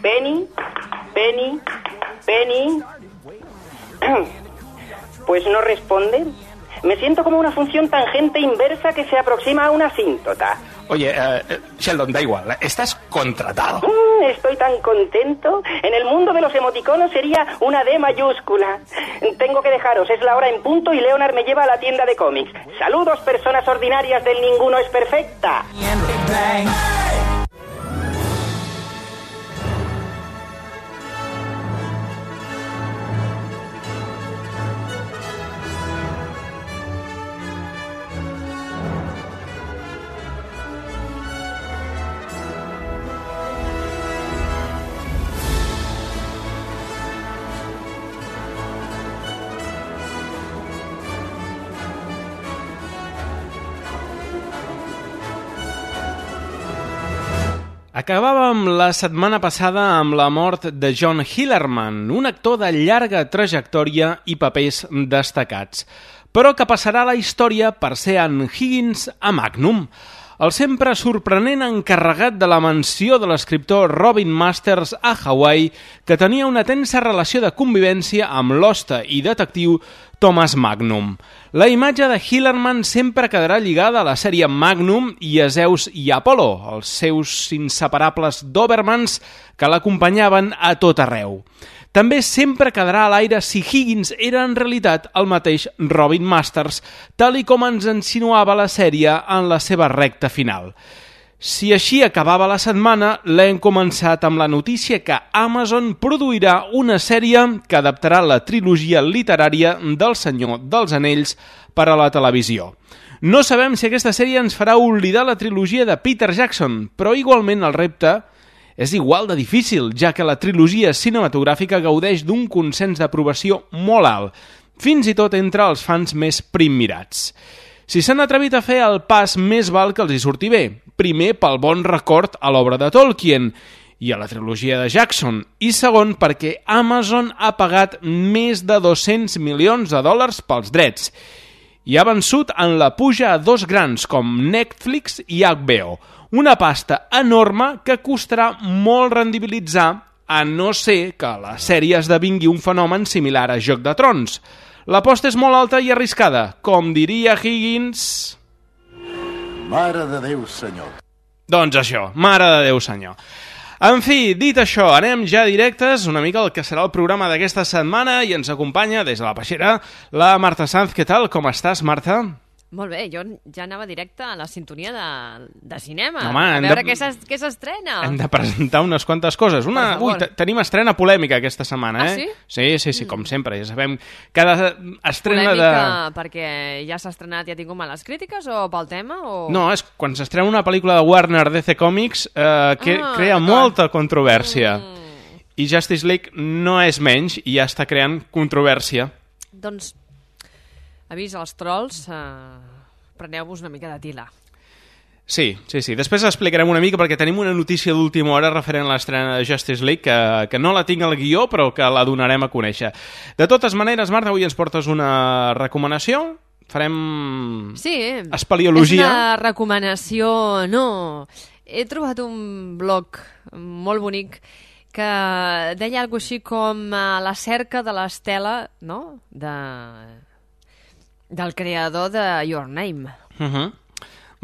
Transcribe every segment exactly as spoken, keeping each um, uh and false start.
Penny, Penny, Penny. Pues no responde. Me siento como una función tangente inversa que se aproxima a una asíntota. Oye, uh, Sheldon, da igual, estás contratado. Mm, estoy tan contento. En el mundo de los emoticonos sería una D mayúscula. Tengo que dejaros, es la hora en punto y Leonard me lleva a la tienda de cómics. Saludos, personas ordinarias del Ninguno es Perfecta. Acabàvem la setmana passada amb la mort de John Hillerman, un actor de llarga trajectòria i papers destacats, però que passarà a la història per ser en Higgins a Magnum, el sempre sorprenent encarregat de la mansió de l'escriptor Robin Masters a Hawaii, que tenia una tensa relació de convivència amb l'hoste i detectiu Thomas Magnum. La imatge de Hillerman sempre quedarà lligada a la sèrie Magnum i a Zeus i Apollo, els seus inseparables Dobermans que l'acompanyaven a tot arreu. També sempre quedarà a l'aire si Higgins era en realitat el mateix Robin Masters, tal i com ens insinuava la sèrie en la seva recta final. Si així acabava la setmana, l'hem començat amb la notícia que Amazon produirà una sèrie que adaptarà la trilogia literària del Senyor dels Anells per a la televisió. No sabem si aquesta sèrie ens farà oblidar la trilogia de Peter Jackson, però igualment el repte és igual de difícil, ja que la trilogia cinematogràfica gaudeix d'un consens d'aprovació molt alt, fins i tot entre els fans més primmirats. Si s'han atrevit a fer el pas, més val que els hi surti bé. Primer, pel bon record a l'obra de Tolkien i a la trilogia de Jackson, i segon, perquè Amazon ha pagat més de dos-cents milions de dòlars pels drets i ha vençut en la puja a dos grans com Netflix i H B O, una pasta enorme que costarà molt rendibilitzar, a no ser que la sèrie esdevingui un fenomen similar a Joc de Trons. L'aposta és molt alta i arriscada, com diria Higgins... Mare de Déu, senyor. Doncs això, mare de Déu, senyor. En fi, dit això, anem ja directes una mica al que serà el programa d'aquesta setmana i ens acompanya des de la Peixera la Marta Sanz. Què tal? Com estàs, Marta? Molt bé, jo ja anava directe a la sintonia de, de cinema, Home, a veure de... què s'estrena. Hem de presentar unes quantes coses. Una... Ui, tenim estrena polèmica aquesta setmana, ah, eh? Sí? Sí, sí, sí, com sempre. Ja sabem, cada estrena polèmica de... perquè ja s'ha estrenat i ha tingut males crítiques o pel tema? O... No, és quan s'estrena una pel·lícula de Warner D C Comics eh, que ah, crea molta controvèrsia. Mm. I Justice League no és menys i ja està creant controvèrsia. Doncs, avís als trolls... Eh... preneu-vos una mica de tila. Sí, sí, sí. Després explicarem una mica perquè tenim una notícia d'última hora referent a l'estrena de Justice League que, que no la tinc al guió però que la donarem a conèixer. De totes maneres, Marta, avui ens portes una recomanació? Farem sí, espeleologia? És una recomanació... No, he trobat un blog molt bonic que deia alguna cosa així com la cerca de l'estela, no?, de... del creador de Your Name. Uh-huh.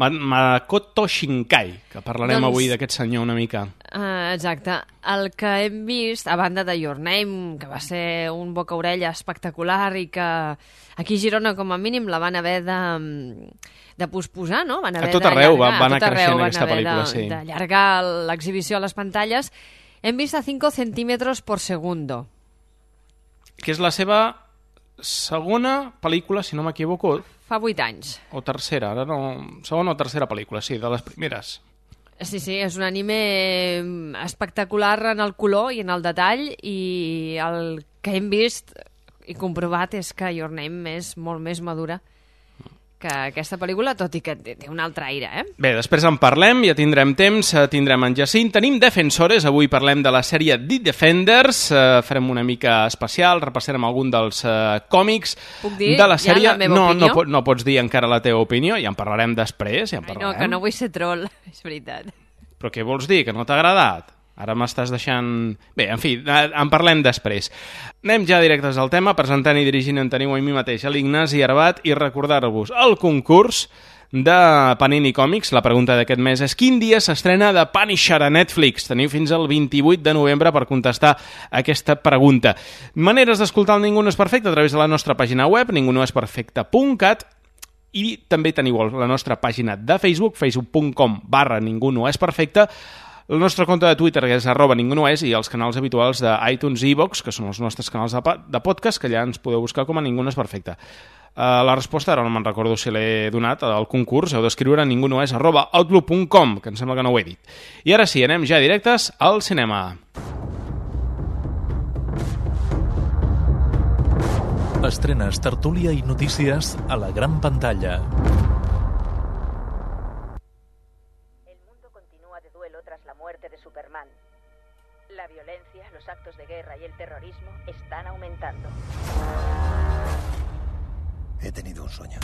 Makoto Shinkai, que parlarem doncs, avui d'aquest senyor una mica. Uh, exacte. El que hem vist, a banda de Your Name, que va ser un boca-orella espectacular i que aquí a Girona, com a mínim, la van haver de, de posposar, no? Van haver a tot arreu va, va anar tot creixent arreu, aquesta pel·lícula, de, sí. d'allargar l'exhibició a les pantalles. Hem vist a cinco centímetres por segundo. Que és la seva... segona pel·lícula, si no m'equivoco. Fa vuit anys. O tercera, ara no... Segona o tercera pel·lícula, sí, de les primeres. Sí, sí, és un anime espectacular en el color i en el detall i el que hem vist i comprovat és que Your Name és molt més madura que aquesta pel·lícula, tot i que té, té un altre aire, eh? Bé, després en parlem, ja tindrem temps, tindrem en Jacint, tenim Defensores, avui parlem de la sèrie The Defenders, eh, farem una mica especial, repassarem algun dels eh, còmics dir, de la sèrie. ja la meva no, opinió? no, no pots dir encara la teva opinió, ja en parlarem després, ja en Ai, parlarem. no, que no vull ser troll, és veritat. Però què vols dir, que no t'ha agradat? Ara m'estàs deixant... Bé, en fi, en parlem després. Anem ja directes al tema, presentant i dirigint en teniu a mi mateix, a l'Ignasi Arbat, i recordar-vos el concurs de Panini Còmics. La pregunta d'aquest mes és: quin dia s'estrena The Punisher a Netflix? Teniu fins al vint-i-vuit de novembre per contestar aquesta pregunta. Maneres d'escoltar el Ningú no és perfecte a través de la nostra pàgina web, ningú no és perfecte punt cat, i també teniu la nostra pàgina de Facebook, facebook punt com barra ningú no és perfecte, el nostre compte de Twitter, que és arroba ningú no és, i els canals habituals d'iTunes i iVoox, que són els nostres canals de, de podcast, que allà ens podeu buscar com a Ningú no és perfecte. Uh, la resposta, ara no me'n recordo si l'he donat, al concurs, heu d'escriure ningú no és arroba outlook punt com, que em sembla que no ho he dit. I ara sí, anem ja directes al cinema. Estrenes, tertúlia i notícies a la gran pantalla. La violencia, los actos de guerra y el terrorismo están aumentando. He tenido un sueño.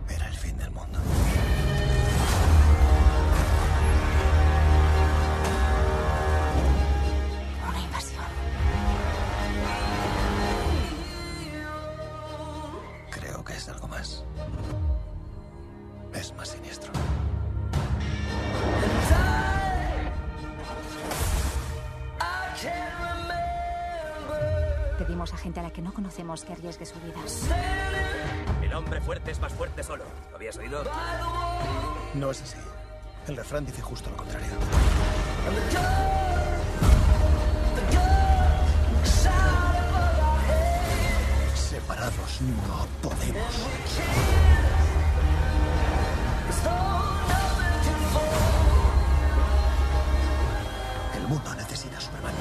Era el fin del mundo. Una invasión. Creo que es algo más. Es más siniestro. Pedimos a gente a la que no conocemos que arriesgue su vida. El hombre fuerte es más fuerte solo. ¿Lo habías oído? No es así. El refrán dice justo lo contrario. Separados no podemos. El mundo necesita Superman.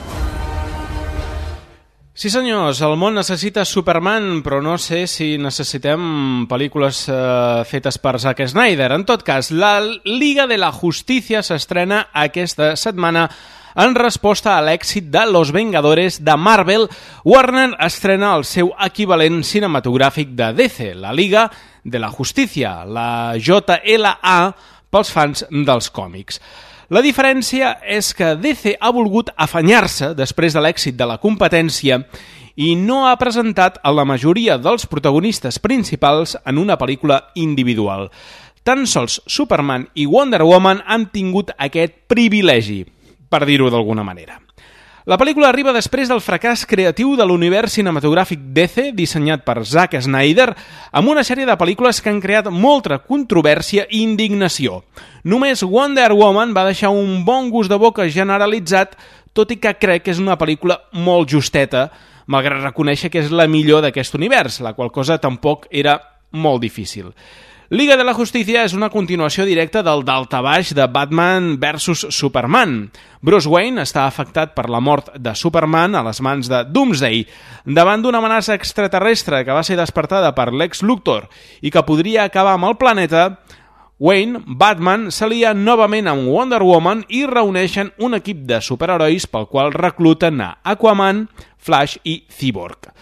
Sí senyors, el món necessita Superman, però no sé si necessitem pel·lícules eh, fetes per Zack Snyder. En tot cas, la Liga de la Justícia s'estrena aquesta setmana en resposta a l'èxit de Los Vengadores de Marvel. Warner estrena el seu equivalent cinematogràfic de D C, la Liga de la Justícia, la J L A pels fans dels còmics. La diferència és que D C ha volgut afanyar-se després de l'èxit de la competència i no ha presentat a la majoria dels protagonistes principals en una pel·lícula individual. Tan sols Superman i Wonder Woman han tingut aquest privilegi, per dir-ho d'alguna manera. La pel·lícula arriba després del fracàs creatiu de l'univers cinematogràfic D C, dissenyat per Zack Snyder, amb una sèrie de pel·lícules que han creat molta controvèrsia i indignació. Només Wonder Woman va deixar un bon gust de boca generalitzat, tot i que crec que és una pel·lícula molt justeta, malgrat reconèixer que és la millor d'aquest univers, la qual cosa tampoc era molt difícil. Liga de la Justícia és una continuació directa del daltabaix de Batman versus Superman. Bruce Wayne està afectat per la mort de Superman a les mans de Doomsday, davant d'una amenaça extraterrestre que va ser despertada per Lex Luthor i que podria acabar amb el planeta. Wayne, Batman, s'alia novament amb Wonder Woman i reuneixen un equip de superherois pel qual recluten a Aquaman, Flash i Cyborg.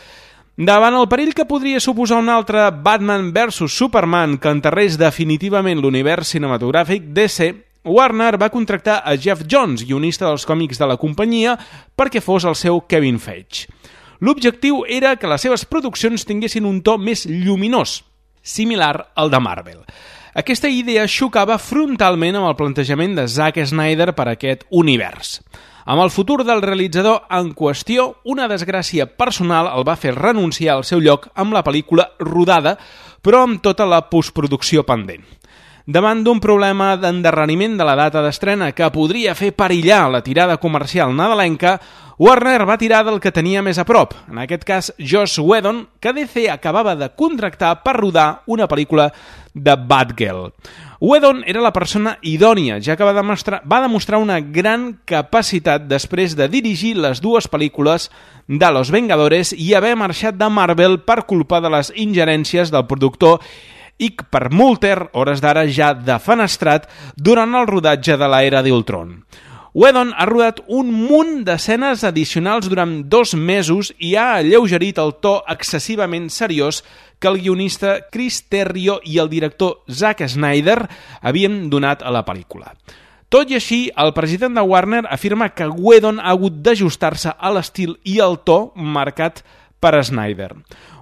Davant el perill que podria suposar un altre Batman versus Superman que enterrés definitivament l'univers cinematogràfic D C, Warner va contractar a Jeff Johns, guionista dels còmics de la companyia, perquè fos el seu Kevin Feige. L'objectiu era que les seves produccions tinguessin un to més lluminós, similar al de Marvel. Aquesta idea xocava frontalment amb el plantejament de Zack Snyder per a aquest univers. Amb el futur del realitzador en qüestió, una desgràcia personal el va fer renunciar al seu lloc amb la pel·lícula rodada, però amb tota la postproducció pendent. Davant d'un problema d'endarreriment de la data d'estrena que podria fer perillar la tirada comercial nadalenca, Warner va tirar del que tenia més a prop, en aquest cas Joss Whedon, que D C acabava de contractar per rodar una pel·lícula de Batgirl. Whedon era la persona idònia, ja que va demostrar, va demostrar una gran capacitat després de dirigir les dues pel·lícules de Los Vengadores i haver marxat de Marvel per culpa de les ingerències del productor Ike Perlmutter, hores d'ara ja defenestrat, durant el rodatge de l'era d'Ultron. Whedon ha rodat un munt d'escenes addicionals durant dos mesos i ha alleugerit el to excessivament seriós que el guionista Chris Terrio i el director Zack Snyder havien donat a la pel·lícula. Tot i així, el president de Warner afirma que Whedon ha hagut d'ajustar-se a l'estil i el to marcat per Snyder.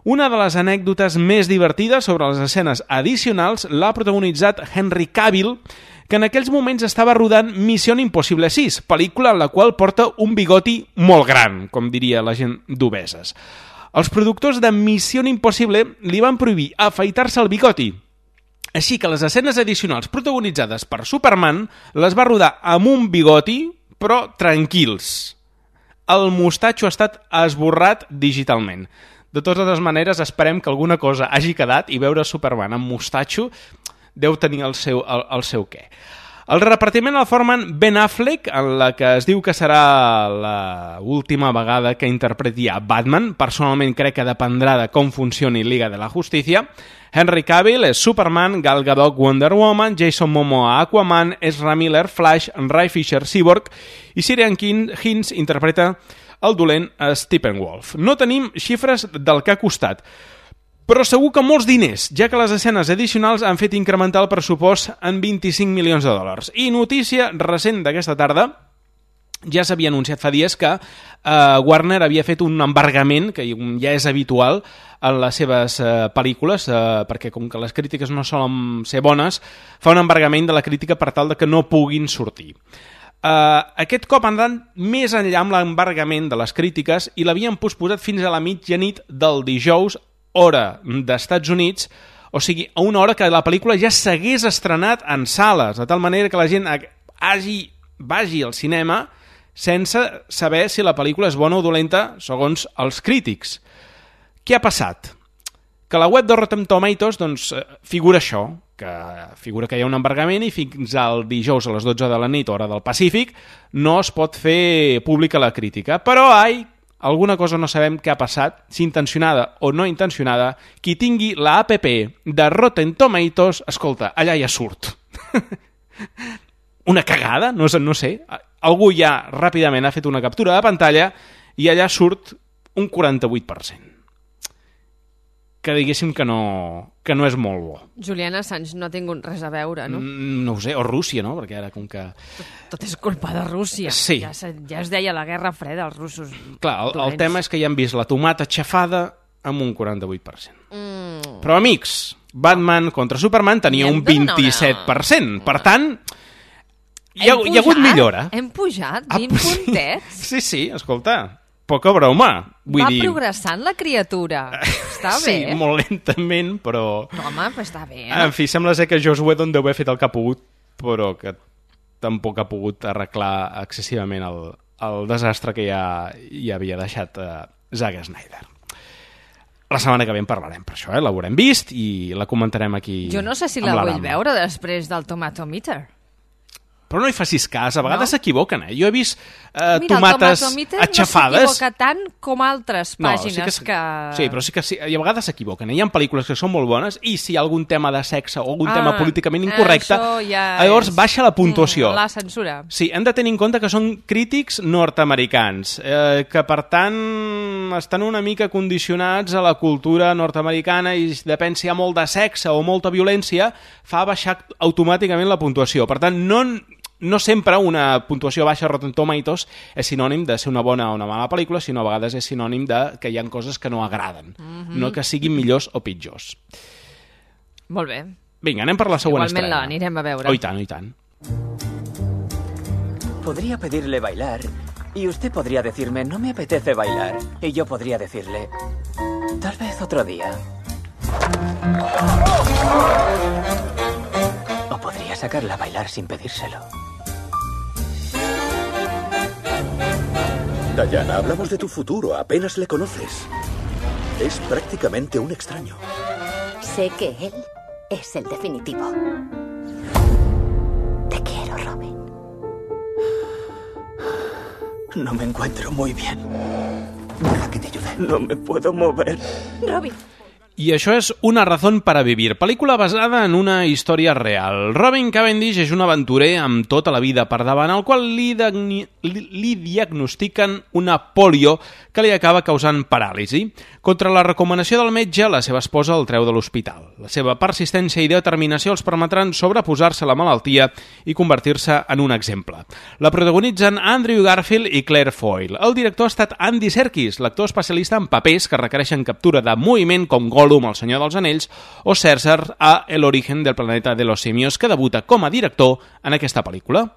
Una de les anècdotes més divertides sobre les escenes addicionals l'ha protagonitzat Henry Cavill, que en aquells moments estava rodant Missió Impossible sis, pel·lícula en la qual porta un bigoti molt gran, com diria la gent d'obeses. Els productors de Missió Impossible li van prohibir afaitar-se el bigoti, així que les escenes addicionals protagonitzades per Superman les va rodar amb un bigoti, però tranquils. El mostatxo ha estat esborrat digitalment. De totes maneres, esperem que alguna cosa hagi quedat i veure Superman amb mostatxo deu tenir el seu, el, el seu què. El repartiment el formen Ben Affleck, en la que es diu que serà l'última vegada que interpreti a Batman. Personalment crec que dependrà de com funcioni Liga de la Justícia. Henry Cavill és Superman, Gal Gadot Wonder Woman, Jason Momoa Aquaman, Ezra Miller Flash, Ray Fisher Cyborg i Ciarán Hinds interpreta el dolent Steppenwolf. No tenim xifres del que ha costat, però segur que molts diners, ja que les escenes addicionals han fet incrementar el pressupost en vint-i-cinc milions de dòlars. I notícia recent d'aquesta tarda, ja s'havia anunciat fa dies que eh, Warner havia fet un embargament, que ja és habitual en les seves eh, pel·lícules, eh, perquè com que les crítiques no solen ser bones, fa un embargament de la crítica per tal de que no puguin sortir. Uh, aquest cop han anat més enllà amb l'embargament de les crítiques i l'havien posposat fins a la mitjanit del dijous, hora d'Estats Units, o sigui, a una hora que la pel·lícula ja s'hagués estrenat en sales, de tal manera que la gent hagi, vagi al cinema sense saber si la pel·lícula és bona o dolenta segons els crítics. Què ha passat? Que a la web de Rotten Tomatoes doncs, figura això, que figura que hi ha un embargament i fins al dijous a les dotze de la nit, hora del Pacífic, no es pot fer pública la crítica. Però, ai, alguna cosa no sabem què ha passat, si intencionada o no intencionada, qui tingui la app de Rotten Tomatoes, escolta, allà ja surt. Una cagada? No, no sé. Algú ja ràpidament ha fet una captura de pantalla i allà surt un quaranta-vuit per cent. Que diguéssim que no, que no és molt bo. Julian Assange no ha tingut res a veure, no? Mm, no ho sé, o Rússia, no? Perquè ara com que... Tot, tot és culpa de Rússia. Sí. Ja, ja es deia la Guerra Freda, els russos. Clar, el, el tema és que ja han vist la tomata xafada amb un quaranta-vuit per cent. Mm. Però, amics, Batman contra Superman tenia un vint-i-set per cent. Per tant, hi ha, hi ha hagut millora. Hem pujat vint ah, puntets? Sí, sí, escolta... Poca broma. Vull Va dir... progressant la criatura. Està sí, bé. Sí, molt lentament, però... No, home, però està bé. Eh? En fi, sembla ser que Joss Whedon deu haver fet el que ha pogut, però que tampoc ha pogut arreglar excessivament el, el desastre que ja, ja havia deixat uh, Zack Snyder. La setmana que ve en parlarem per això, eh? L'haurem vist i la comentarem aquí. Jo no sé si la vull veure després del Tomatometer. Però no hi facis cas, a vegades s'equivoquen, eh? Jo he vist eh, Mira, tomates atxafades... Mira, no s'equivoca tant com altres pàgines no, sí que, que... Sí, però sí que sí, i a vegades s'equivoquen. Eh? Hi ha pel·lícules que són molt bones i si hi ha algun tema de sexe o algun ah, tema políticament incorrecte, ja llavors és... baixa la puntuació. Mm, la censura. Sí, hem de tenir en compte que són crítics nord-americans, eh, que per tant estan una mica condicionats a la cultura nord-americana i depèn si hi ha molt de sexe o molta violència, fa baixar automàticament la puntuació. Per tant, no... No sempre una puntuació baixa a Rotten Tomatoes és sinònim de ser una bona o una mala pel·lícula, sinó a vegades és sinònim de que hi ha coses que no agraden, mm-hmm. no que siguin millors o pitjors. Molt bé. Vinga, anem per la següent Igualment estrena. Igualment l'anirem a veure. Oh, i tant, oh, i tant. Podría pedirle bailar y usted podría decirme no me apetece bailar y yo podría decirle tal vez otro día. Ok. sacarla a bailar sin pedírselo. Diana, hablamos de tu futuro. Apenas le conoces. Es prácticamente un extraño. Sé que él es el definitivo. Te quiero, Robin. No me encuentro muy bien. Deja que te ayude. No me puedo mover. Robin. I això és Una razón para vivir, pel·lícula basada en una història real. Robin Cavendish és un aventurer amb tota la vida per davant, al qual li, li, li diagnostiquen una polio que li acaba causant paràlisi. Contra la recomanació del metge, la seva esposa el treu de l'hospital. La seva persistència i determinació els permetran sobreposar-se a la malaltia i convertir-se en un exemple. La protagonitzen Andrew Garfield i Claire Foy. El director ha estat Andy Serkis, l'actor especialista en papers que requereixen captura de moviment com Gollum al Senyor dels Anells o César a El origen del planeta de los simios, que debuta com a director en aquesta pel·lícula.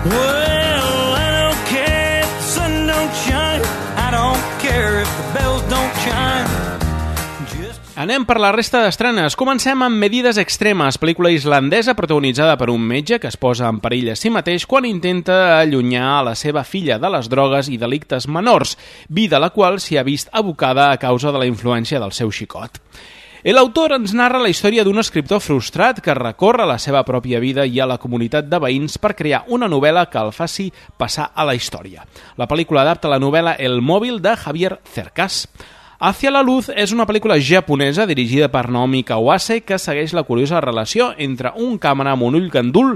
Well, I don't care if the sun don't shine. I don't care if the bells don't chime. Anem per la resta d'estrenes. Comencem amb Medidas Extremes, pel·lícula islandesa protagonitzada per un metge que es posa en perill a si mateix quan intenta allunyar a la seva filla de les drogues i delictes menors, vida a la qual s'hi ha vist abocada a causa de la influència del seu xicot. L'autor ens narra la història d'un escriptor frustrat que recorre la seva pròpia vida i a la comunitat de veïns per crear una novel·la que el faci passar a la història. La pel·lícula adapta la novel·la El mòbil de Javier Cercas. Hacia la luz és una pel·lícula japonesa dirigida per Naomi Kawase que segueix la curiosa relació entre un càmera amb un ull gandul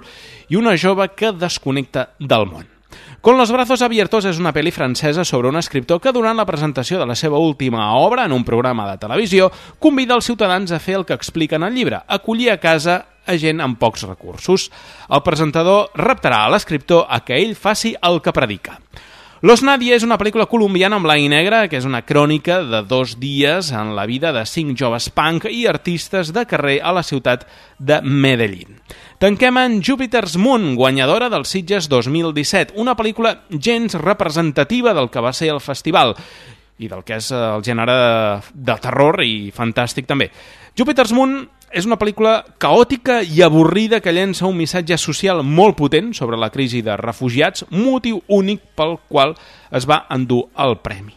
i una jove que desconnecta del món. Con los brazos abiertos és una pel·li francesa sobre un escriptor que durant la presentació de la seva última obra en un programa de televisió convida els ciutadans a fer el que explica en el llibre, acollir a casa a gent amb pocs recursos. El presentador reptarà a l'escriptor a que ell faci el que predica. Los Nadie és una pel·lícula colombiana en blanc i negre que és una crònica de dos dies en la vida de cinc joves punk i artistes de carrer a la ciutat de Medellín. Tanquem en Jupiter's Moon, guanyadora dels Sitges dos mil disset, una pel·lícula gens representativa del que va ser el festival i del que és el gènere de terror i fantàstic també. Jupiter's Moon és una pel·lícula caòtica i avorrida que llença un missatge social molt potent sobre la crisi de refugiats, motiu únic pel qual es va endur el premi.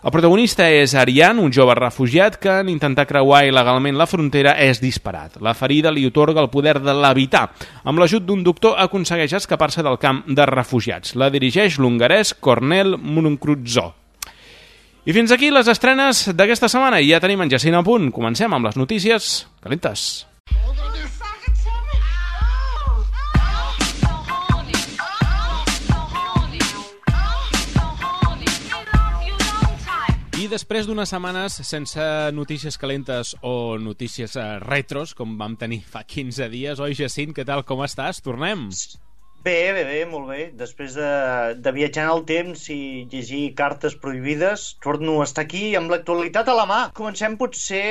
El protagonista és Ariane, un jove refugiat que en intentar creuar il·legalment la frontera és disparat. La ferida li otorga el poder de levitar. Amb l'ajut d'un doctor aconsegueix escapar-se del camp de refugiats. La dirigeix l'hongarès Cornel Murunkruzzo. I fins aquí les estrenes d'aquesta setmana i ja tenim en Jacint a punt. Comencem amb les notícies calentes. I després d'unes setmanes sense notícies calentes o notícies retros, com vam tenir fa quinze dies, oi Jacint, què tal, com estàs? Tornem? Bé, bé, bé, molt bé. Després de, de viatjar en el temps i llegir cartes prohibides, torno a estar aquí amb l'actualitat a la mà. Comencem potser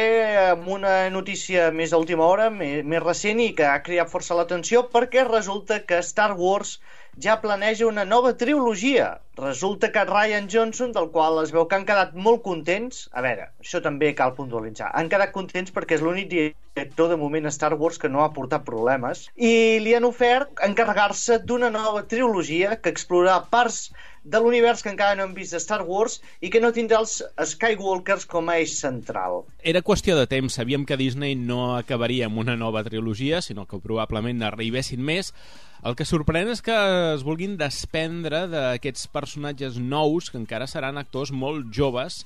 amb una notícia més d'última hora, més, més recent i que ha creat força l'atenció, perquè resulta que Star Wars ja planeja una nova trilogia. Resulta que Rian Johnson, del qual es veu que han quedat molt contents, a veure, això també cal puntualitzar, han quedat contents perquè és l'únic director de moment a Star Wars que no ha portat problemes, i li han ofert encarregar-se d'una nova trilogia que explorarà parts de l'univers que encara no hem vist de Star Wars i que no tindrà els Skywalkers com a eix central. Era qüestió de temps, sabíem que Disney no acabaria amb una nova trilogia, sinó que probablement n'arribessin més. El que sorprèn és que es vulguin desprendre d'aquests personatges nous, que encara seran actors molt joves.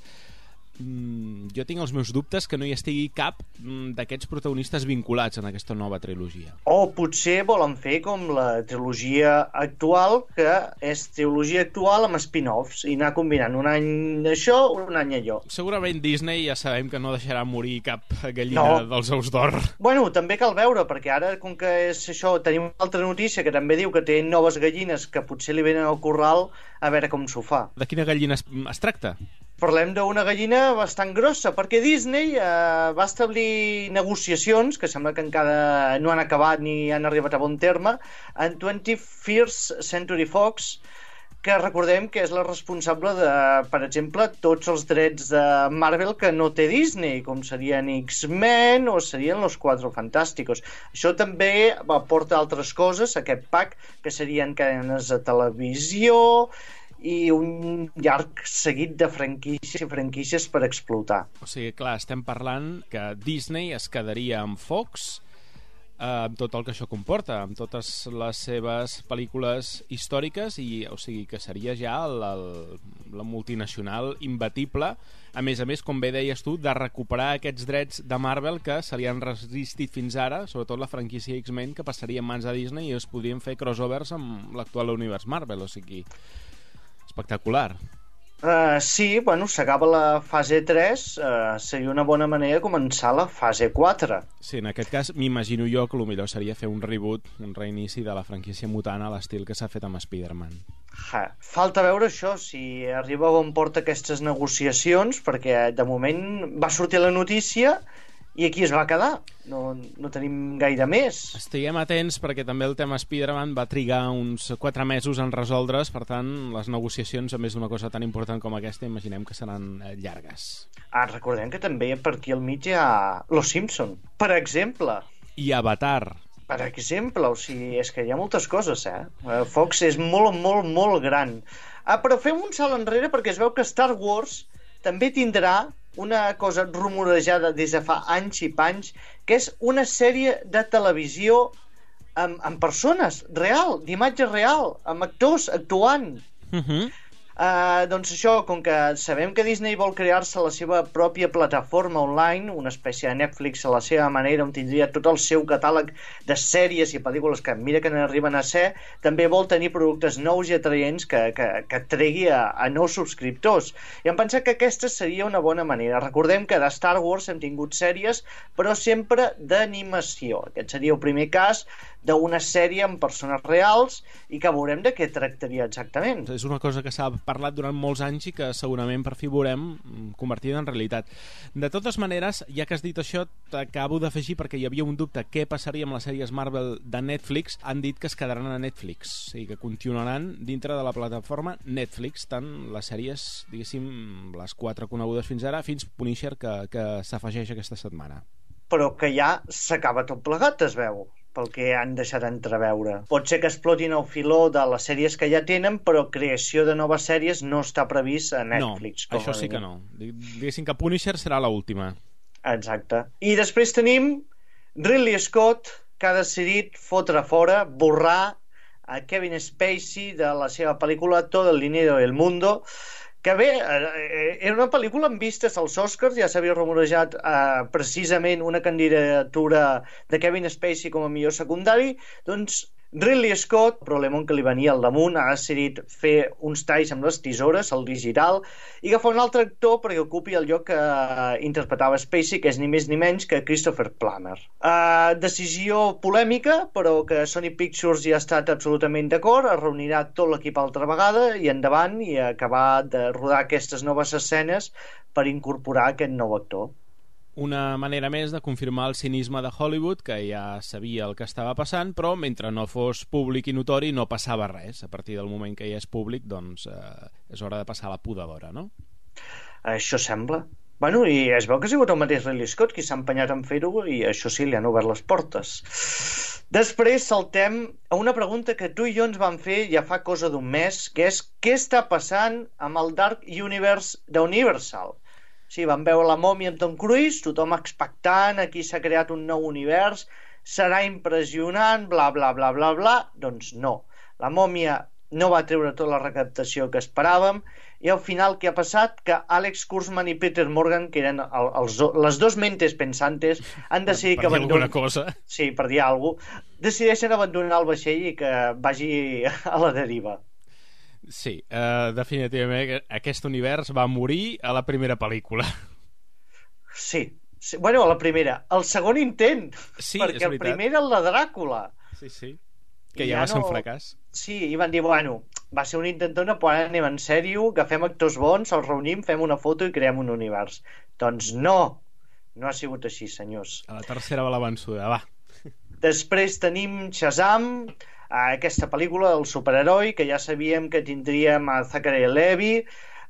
Mm, jo tinc els meus dubtes que no hi estigui cap mm, d'aquests protagonistes vinculats en aquesta nova trilogia. O potser volen fer com la trilogia actual, que és trilogia actual amb spin-offs, i anar combinant un any això, un any allò. Segurament Disney ja sabem que no deixarà morir cap gallina no. dels ous d'or. Bueno, també cal veure, perquè ara, com que és això, tenim una altra notícia que també diu que té noves gallines que potser li venen al corral, a veure com s'ho fa. De quina gallina es, es tracta? Parlem d'una gallina bastant grossa, perquè Disney eh, va establir negociacions, que sembla que encara no han acabat ni han arribat a bon terme, en twenty-first Century Fox, que recordem que és la responsable de, per exemple, tots els drets de Marvel que no té Disney, com serien X-Men o serien Los Cuatro Fantásticos. Això també aporta altres coses, aquest pack, que serien cadenes de televisió i un llarg seguit de franquícies i franquícies per explotar. O sigui, clar, estem parlant que Disney es quedaria amb Fox, amb tot el que això comporta, amb totes les seves pel·lícules històriques, i o sigui que seria ja la, la multinacional imbatible, a més a més, com bé deies tu, de recuperar aquests drets de Marvel que se li han resistit fins ara, sobretot la franquícia X-Men, que passaria en mans de Disney i es podrien fer crossovers amb l'actual univers Marvel, o sigui, espectacular. Uh, sí, bueno, s'acaba la fase tres, uh, seria una bona manera de començar la fase quatre. Sí, en aquest cas m'imagino jo que el millor seria fer un reboot, un reinici de la franquícia mutant a l'estil que s'ha fet amb Spider-Man. Ha, falta veure això, si arriba on porta aquestes negociacions, perquè de moment va sortir la notícia i aquí es va quedar, no, no tenim gaire més. Estiguem atents perquè també el tema Spider-Man va trigar uns quatre mesos en resoldre's, per tant les negociacions, a més d'una cosa tan important com aquesta, imaginem que seran llargues. Ah, recordem que també per aquí al mig hi ha Los Simpson, per exemple. I Avatar. Per exemple, o sigui, és que hi ha moltes coses, eh? Fox és molt, molt, molt gran. Ah, però fem un salt enrere perquè es veu que Star Wars també tindrà una cosa rumorejada des de fa anys i panys, que és una sèrie de televisió amb, amb persones, real, d'imatge real, amb actors actuant. Uh-huh. Uh, doncs això, com que sabem que Disney vol crear-se la seva pròpia plataforma online, una espècie de Netflix a la seva manera, on tindria tot el seu catàleg de sèries i pel·lícules que mira que n'arriben a ser, també vol tenir productes nous i atraents que, que, que tregui a, a nous subscriptors. I hem pensat que aquesta seria una bona manera. Recordem que de Star Wars hem tingut sèries, però sempre d'animació. Aquest seria el primer cas d'una sèrie amb persones reals i que veurem de què tractaria exactament. És una cosa que s'ha parlat durant molts anys i que segurament per fi veurem convertida en realitat. De totes maneres, ja que has dit això, t'acabo d'afegir, perquè hi havia un dubte, què passaria amb les sèries Marvel de Netflix. Han dit que es quedaran a Netflix, o sigui que continuaran dintre de la plataforma Netflix, tant les sèries, diguéssim, les quatre conegudes fins ara, fins Punisher, que, que s'afegeix aquesta setmana. Però que ja s'acaba tot plegat, es veu, pel que han deixat entreveure. Pot ser que explotin el filó de les sèries que ja tenen, però creació de noves sèries no està previst a Netflix. No, això sí que no. Diguéssim que Punisher serà l'última. Exacte. I després tenim Ridley Scott, que ha decidit fotre fora, borrar a Kevin Spacey de la seva pel·lícula Todo el dinero del mundo, que bé, era una pel·lícula amb vistes als Oscars, ja s'havia rumorejat eh, precisament una candidatura de Kevin Spacey com a millor secundari, doncs Ridley Scott, el problema que li venia al damunt, ha decidit fer uns talls amb les tisores, el digital, i agafar un altre actor perquè ocupi el lloc que uh, interpretava Spacey, que és ni més ni menys que Christopher Plummer. Uh, decisió polèmica, però que Sony Pictures hi ha estat absolutament d'acord, es reunirà tot l'equip altra vegada i endavant i acabar de rodar aquestes noves escenes per incorporar aquest nou actor. Una manera més de confirmar el cinisme de Hollywood, que ja sabia el que estava passant, però mentre no fos públic i notori no passava res. A partir del moment que ja és públic, doncs eh, és hora de passar la podadora, no? Això sembla. Bueno, i es veu que ha sigut el mateix Ridley Scott qui s'ha empenyat en fer-ho i això sí, li han obert les portes. Després saltem a una pregunta que tu i jo ens vam fer ja fa cosa d'un mes, que és què està passant amb el Dark Universe d'Universal? Sí, vam veure la mòmia amb Tom Cruise, tothom expectant, aquí s'ha creat un nou univers, serà impressionant, bla, bla, bla, bla, bla. Doncs no. La mòmia no va treure tota la recaptació que esperàvem i al final què ha passat? Que Alex Kurtzman i Peter Morgan, que eren el, els, les dos mentes pensantes, han decidit per, per que abandonen... cosa. Sí, per dir alguna cosa. Decideixen abandonar el vaixell i que vagi a la deriva. Sí, uh, definitivament aquest univers va morir a la primera pel·lícula. Sí, sí. Bueno, a la primera. El segon intent, sí, perquè el primer era el de Dràcula. Sí, sí, que ja, ja va ser no... un fracàs. Sí, i van dir, bueno, va ser un intentona, però ara anem en sèrio, agafem actors bons, els reunim, fem una foto i creem un univers. Doncs no, no ha sigut així, senyors. A la tercera va la vençuda, va. Després tenim Shazam, aquesta pel·lícula, el superheroi, que ja sabíem que tindríem a Zachary Levi.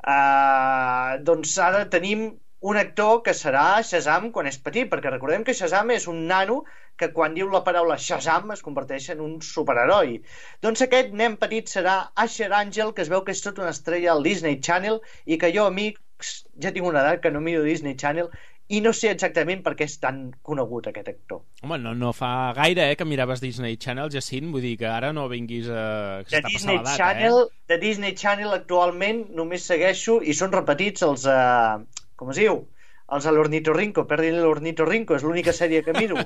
Uh, doncs ara tenim un actor que serà Shazam quan és petit, perquè recordem que Shazam és un nano que quan diu la paraula Shazam es converteix en un superheroi. Doncs aquest nen petit serà Asher Angel, que es veu que és tota una estrella al Disney Channel i que jo, amics, ja tinc una edat que no miro Disney Channel i no sé exactament per què és tan conegut aquest actor. Home, no, no fa gaire eh, que miraves Disney Channel, Jacint, vull dir que ara no vinguis a... De Disney Channel, eh? De Disney Channel actualment només segueixo i són repetits els... Uh, com es diu? Els a l'Ornitorrinco, perdin l'Ornitorrinco, és l'única sèrie que miro.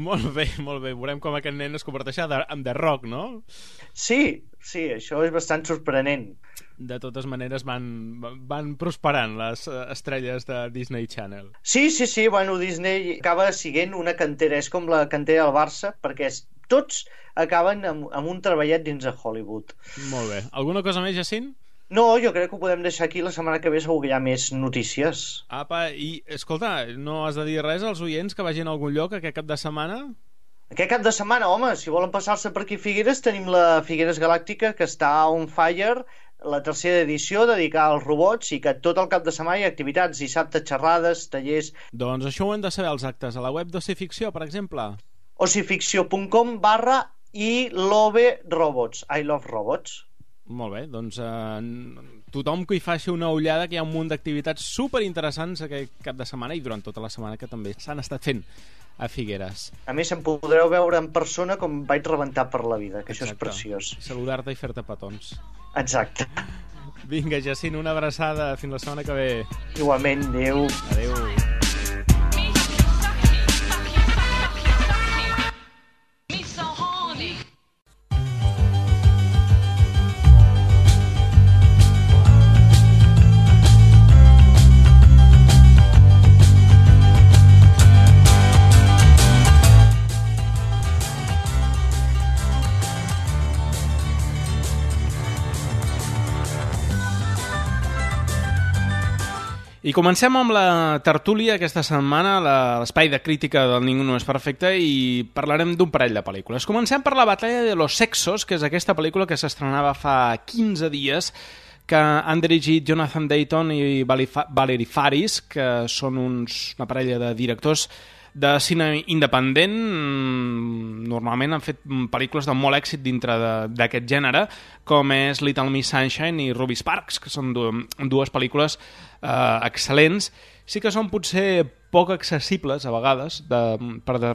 Molt bé, molt bé. Veurem com aquest nen es converteix en The Rock, no? Sí, sí, això és bastant sorprenent. De totes maneres van, van prosperant les estrelles de Disney Channel. Sí, sí, sí, bueno, Disney acaba siguent una cantera, és com la cantera del Barça, perquè és, tots acaben amb, amb un treballet dins de Hollywood. Molt bé. Alguna cosa més, Jacint? No, jo crec que ho podem deixar aquí. La setmana que ve segur que hi ha més notícies. Apa, i escolta, no has de dir res als oients que vagin a algun lloc aquest cap de setmana? Aquest cap de setmana, home, si volen passar-se per aquí a Figueres, tenim la Figueres Galàctica, que està on fire, la tercera edició dedicada als robots, i que tot el cap de setmana hi ha activitats, dissabte, xerrades, tallers... Doncs això ho hem de saber, els actes. A la web d'Ocificció, per exemple? ocificció.com barra i love robots, I love robots. Molt bé, doncs eh, tothom que hi faci una ullada, que hi ha un munt d'activitats superinteressants aquest cap de setmana i durant tota la setmana que també s'han estat fent a Figueres. A més, em podreu veure en persona com vaig rebentar per la vida, que Exacte. Això és preciós. Saludar-te i fer-te petons. Exacte. Vinga, Jacint, una abraçada. Fins la setmana que ve. Igualment, adeu. Adeu. I comencem amb la tertúlia aquesta setmana, l'espai de crítica del Ningú no és perfecte, i parlarem d'un parell de pel·lícules. Comencem per La batalla de los sexos, que és aquesta pel·lícula que s'estrenava fa quinze dies, que han dirigit Jonathan Dayton i Valerie Faris, que són uns, una parella de directors de cine independent. Normalment han fet pel·lícules de molt èxit dintre d'aquest gènere, com és Little Miss Sunshine i Ruby Sparks, que són dues pel·lícules eh, excel·lents. Sí que són potser poc accessibles a vegades de, per de,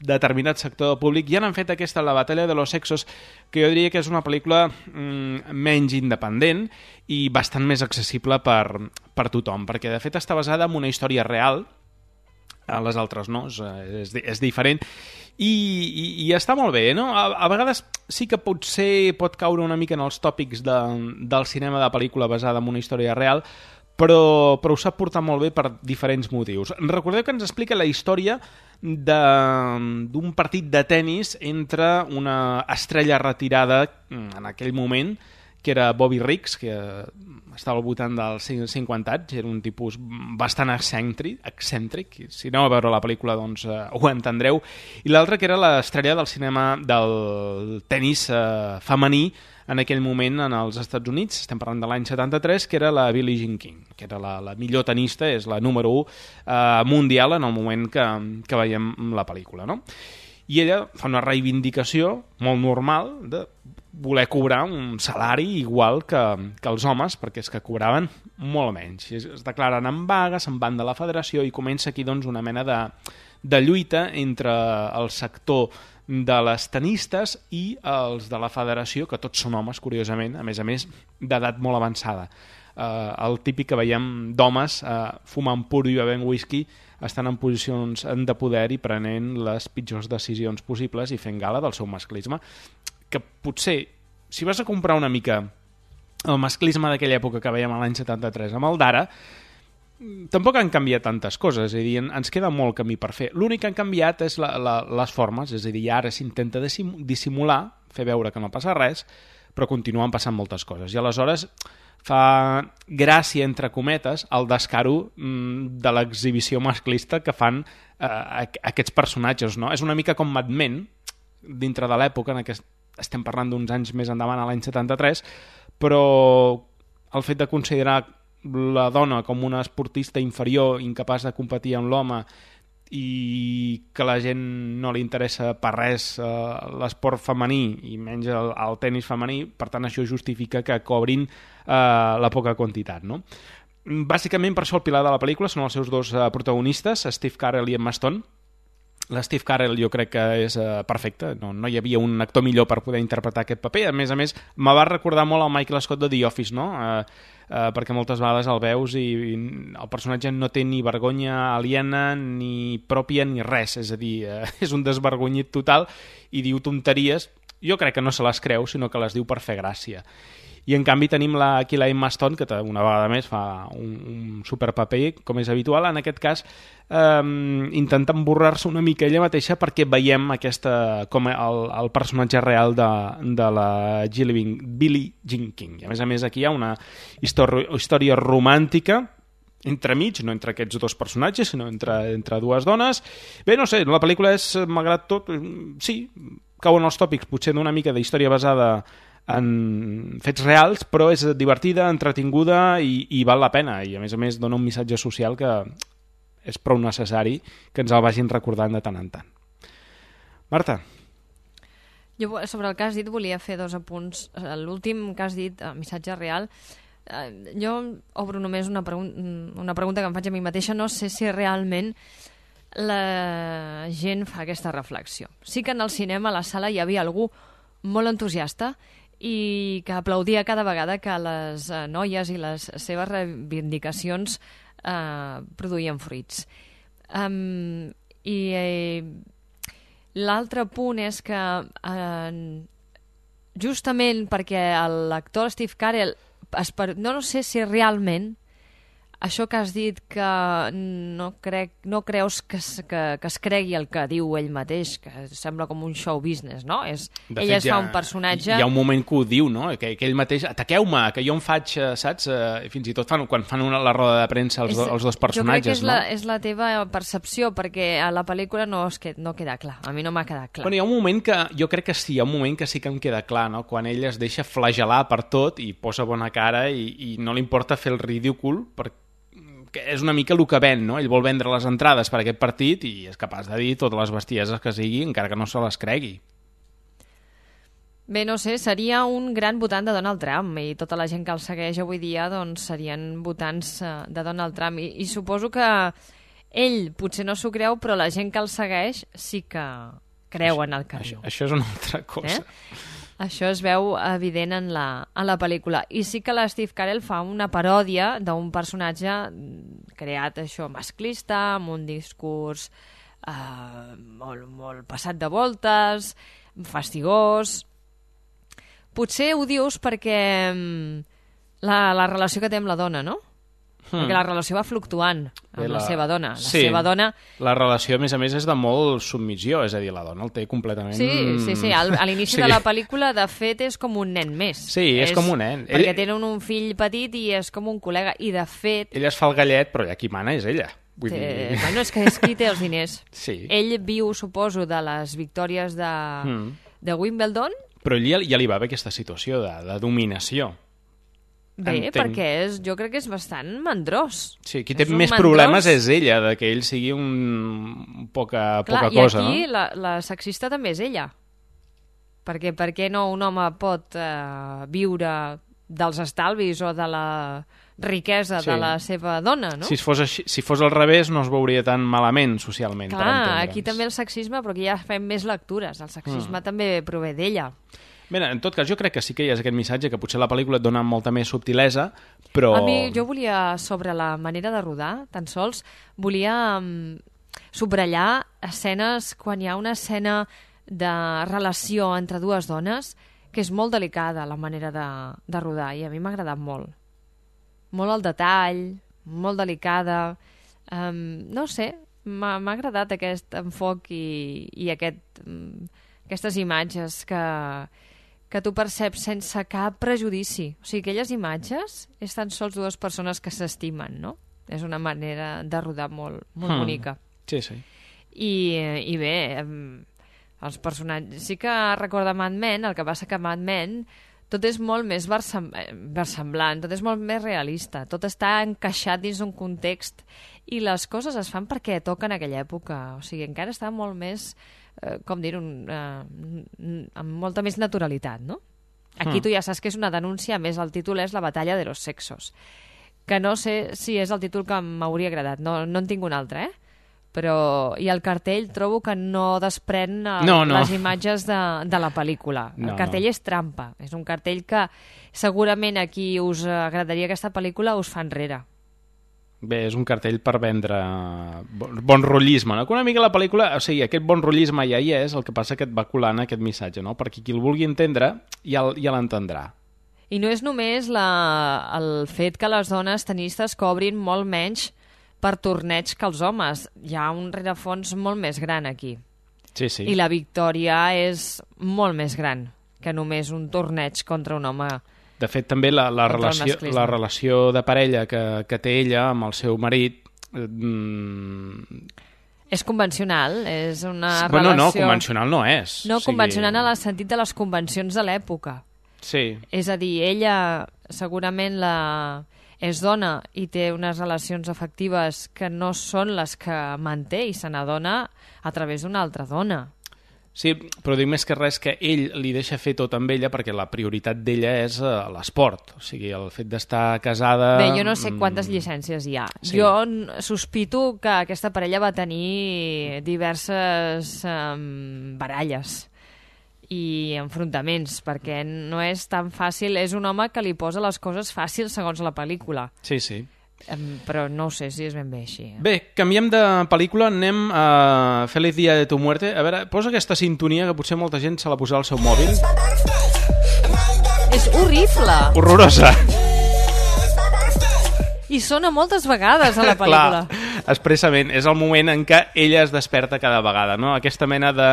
determinat sector del públic, i han fet aquesta La batalla de los sexos, que jo diria que és una pel·lícula mm, menys independent i bastant més accessible per, per tothom, perquè de fet està basada en una història real. A les altres no, és, és diferent, i, i, i està molt bé, no? A, a vegades sí que potser pot caure una mica en els tòpics de, del cinema de pel·lícula basada en una història real, però, però ho sap portar molt bé per diferents motius. Recordeu que ens explica la història d'un partit de tennis entre una estrella retirada en aquell moment, que era Bobby Riggs, que estava al voltant dels cinquanta anys, era un tipus bastant excèntric, excèntric. Si aneu a veure la pel·lícula doncs eh, ho entendreu, i l'altre que era l'estrella del cinema del tennis eh, femení en aquell moment en els Estats Units, estem parlant de l'any setanta-tres, que era la Billie Jean King, que era la, la millor tenista, és la número u eh, mundial en el moment que, que veiem la pel·lícula, no? I ella fa una reivindicació molt normal de voler cobrar un salari igual que, que els homes, perquè és que cobraven molt menys. Es declaren en vaga, se'n van de la federació i comença aquí doncs, una mena de, de lluita entre el sector de les tenistes i els de la federació, que tots són homes, curiosament, a més a més, d'edat molt avançada. Uh, el típic que veiem d'homes uh, fumant puro i bevent whisky, estan en posicions de poder i prenent les pitjors decisions possibles i fent gala del seu masclisme, que potser, si vas a comprar una mica el masclisme d'aquella època que veiem a l'any setanta-tres amb el d'ara, tampoc han canviat tantes coses, és a dir, ens queda molt camí per fer. L'únic que han canviat és la, la, les formes, és a dir, ara s'intenta dissimular, fer veure que no passa res, però continuen passant moltes coses. I aleshores fa gràcia, entre cometes, el descaro de l'exhibició masclista que fan eh, aquests personatges, no? És una mica com Mad Men, dintre de l'època, en què estem parlant d'uns anys més endavant, a l'any setanta-tres, però el fet de considerar la dona com una esportista inferior, incapaç de competir amb l'home, i que la gent no li interessa per res eh, l'esport femení i menys el, el tenis femení, per tant això justifica que cobrin eh, la poca quantitat, no? Bàsicament per això el pilar de la pel·lícula són els seus dos eh, protagonistes, Steve Carell i Emma Stone. L'Steve Carell jo crec que és eh, perfecte, no, no hi havia un actor millor per poder interpretar aquest paper. A més a més, me va recordar molt al Michael Scott de The Office, no? Eh, eh, perquè moltes vegades el veus i, i el personatge no té ni vergonya aliena, ni pròpia, ni res. És a dir, eh, és un desvergonyit total i diu tonteries. Jo crec que no se les creu, sinó que les diu per fer gràcia. I en canvi tenim la, aquí la Emma Stone, que una vegada més fa un, un superpaper, com és habitual. En aquest cas, eh, intenta emborrar-se una mica ella mateixa perquè veiem aquesta, com el, el personatge real de, de la Billie Jean King. I a més a més aquí hi ha una història, història romàntica entremig, no entre aquests dos personatges, sinó entre, entre dues dones. Bé, no sé, la pel·lícula és, malgrat tot, sí, cauen els tòpics, potser d'una mica de història basada en fets reals, però és divertida, entretinguda i, i val la pena, i a més a més dona un missatge social que és prou necessari que ens el vagin recordant de tant en tant. Marta? Jo sobre el que has dit volia fer dos apunts. L'últim que has dit, missatge real, jo obro només una, pregun una pregunta que em faig a mi mateixa. No sé si realment la gent fa aquesta reflexió. Sí que en el cinema, a la sala, hi havia algú molt entusiasta i que aplaudia cada vegada que les eh, noies i les seves reivindicacions eh, produïen fruits. Um, I eh, l'altre punt és que eh, justament perquè l'actor Steve Carell, no, no sé si realment això que has dit que no, crec, no creus que es, que, que es cregui el que diu ell mateix, que sembla com un show business, no? És, ell es fa un personatge... Hi ha un moment que ho diu, no? Que, que ell mateix, ataqueu-me, que jo em faig, saps? Fins i tot fan, quan fan una, la roda de premsa els, és, els dos personatges, jo crec que és, no? la, és la teva percepció, perquè a la pel·lícula no, es que, no queda clar. A mi no m'ha quedat clar. Bueno, hi ha un moment que, jo crec que sí, hi ha un moment que sí que em queda clar, no? Quan ell es deixa flagelar per tot i posa bona cara i, i no li importa fer el ridícul, perquè que és una mica el que ven, no? Ell vol vendre les entrades per aquest partit i és capaç de dir totes les bestieses que sigui, encara que no se les cregui. Bé, no sé, seria un gran votant de Donald Trump i tota la gent que el segueix avui dia doncs serien votants de Donald Trump i, i suposo que ell potser no s'ho creu, però la gent que el segueix sí que creu en el que això, diu. Això és una altra cosa. Eh? Això es veu evident en la, en la pel·lícula. I sí que la Steve Carell fa una paròdia d'un personatge creat això masclista, amb un discurs eh, molt, molt passat de voltes, fastigós. Potser ho dius perquè la, la relació que té amb la dona, no? Hmm. Perquè la relació va fluctuant amb la, la seva dona. La sí, seva dona... la relació, a més a més, és de molt submissió, és a dir, la dona el té completament... Sí, sí, sí. Al, a l'inici sí. de la pel·lícula, de fet, és com un nen més. Sí, és, és com un nen. Perquè ell... tenen un fill petit i és com un col·lega, i de fet... Ell es fa el gallet, però ja qui mana és ella. Vull té... dir... Bueno, és que és qui té els diners. Sí. Ell viu, suposo, de les victòries de, mm. de Wimbledon. Però ell ja, ja li va bé aquesta situació de, de dominació. Bé, Entenc. perquè és, jo crec que és bastant mandrós. Sí, qui té és més mandrós... problemes és ella, de que ell sigui un poca, Clar, poca cosa. I aquí no? la, la sexista també és ella. Perquè per què no un home pot eh, viure dels estalvis o de la riquesa sí. de la seva dona, no? Si fos, així, si fos al revés no es veuria tan malament socialment. Clar, aquí també el sexisme, però aquí ja fem més lectures. El sexisme mm. també prové d'ella. Bé, en tot cas, jo crec que sí que hi ha aquest missatge, que potser la pel·lícula et dona molta més subtilesa, però... A mi, jo volia, sobre la manera de rodar, tan sols, volia um, subratllar escenes, quan hi ha una escena de relació entre dues dones, que és molt delicada la manera de, de rodar, i a mi m'ha agradat molt. Molt el detall, molt delicada... Um, no sé, m'ha agradat aquest enfoc i, i aquest, um, aquestes imatges que... que tu perceps sense cap prejudici. O sigui, aquelles imatges és tan sols dues persones que s'estimen, no? És una manera de rodar molt, molt hmm. bonica. Sí, sí. I, i bé, Els personatges... Sí que recorda Mad Men, el que passa que Mad Men tot és molt més versem... versemblant, tot és molt més realista, tot està encaixat dins d'un context i les coses es fan perquè toquen aquella època. O sigui, encara està molt més, eh, com dir-ho, eh, amb molta més naturalitat, no? Aquí tu ja saps que és una denúncia, a més el títol és La batalla de los sexos, que no sé si és el títol que m'hauria agradat, no, no en tinc un altre, eh? Però... I el cartell trobo que no desprèn el, no, no. les imatges de, de la pel·lícula. El no, cartell no. és trampa, és un cartell que segurament a qui us agradaria aquesta pel·lícula us fa enrere. Bé, és un cartell per vendre bon, bon rotllisme, no? Que una mica la pel·lícula, o sigui, aquest bon rotllisme ja hi és, el que passa que et va colant aquest missatge, no? Perquè qui el vulgui entendre ja, ja l'entendrà. I no és només la, el fet que les dones tenistes cobrin molt menys per torneig que els homes. Hi ha un rerefons molt més gran aquí. Sí, sí. I la victòria és molt més gran que només un torneig contra un home. De fet, també la, la, relació, la relació de parella que, que té ella amb el seu marit... Mm... És convencional, és una bueno, relació... No, convencional no és. No, o sigui... convencional en el sentit de les convencions de l'època. Sí. És a dir, ella segurament la... és dona i té unes relacions afectives que no són les que manté i se n'adona a través d'una altra dona. Sí, però dic més que res que ell li deixa fer tot amb ella perquè la prioritat d'ella és uh, l'esport. O sigui, el fet d'estar casada... Bé, jo no sé quantes llicències hi ha. Sí. Jo sospito que aquesta parella va tenir diverses um, baralles i enfrontaments, perquè no és tan fàcil. És un home que li posa les coses fàcils segons la pel·lícula. Sí, sí. Um, però no ho sé si és ben bé així. Eh? Bé, canviem de pel·lícula, anem a Feliz Día de tu muerte. A veure, posa aquesta sintonia que potser molta gent se la posarà al seu mòbil. És horrible! Horrorosa! I sona moltes vegades a la pel·lícula. Clar, expressament, és el moment en què ella es desperta cada vegada, no? Aquesta mena de...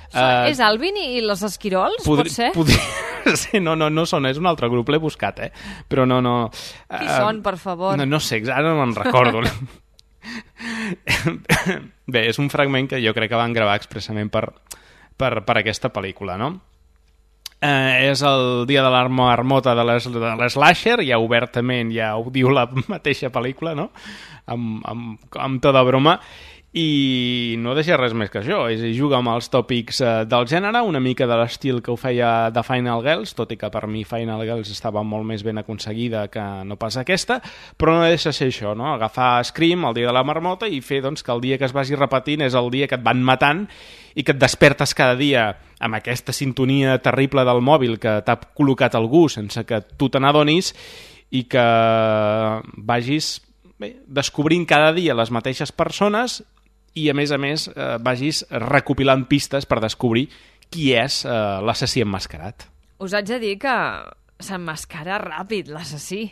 Uh... És Alvin i los esquirols, podri... pot ser? Podri... Sí, no, no, no són, és un altre grup, l'he buscat, eh? Però no, no... Qui uh... són, per favor? No, no sé, ara no me'n recordo. Bé, és un fragment que jo crec que van gravar expressament per, per, per aquesta pel·lícula, no? Eh, és el dia de la marmota de l'Slasher, ja obertament, ja ho diu la mateixa pel·lícula, no? Amb, amb, amb tota broma, i no deixa res més que això, és juga amb els tòpics eh, del gènere, una mica de l'estil que ho feia de Final Girls, tot i que per mi Final Girls estava molt més ben aconseguida que no pas aquesta, però no deixa ser això, no? Agafar Scream el dia de la marmota i fer doncs, que el dia que es vagi repetint és el dia que et van matant i que et despertes cada dia amb aquesta sintonia terrible del mòbil que t'ha col·locat algú sense que tu te n'adonis i que vagis bé, descobrint cada dia les mateixes persones i a més a més eh, vagis recopilant pistes per descobrir qui és eh, l'assassí emmascarat. Us haig de dir que s'emmascara ràpid l'assassí.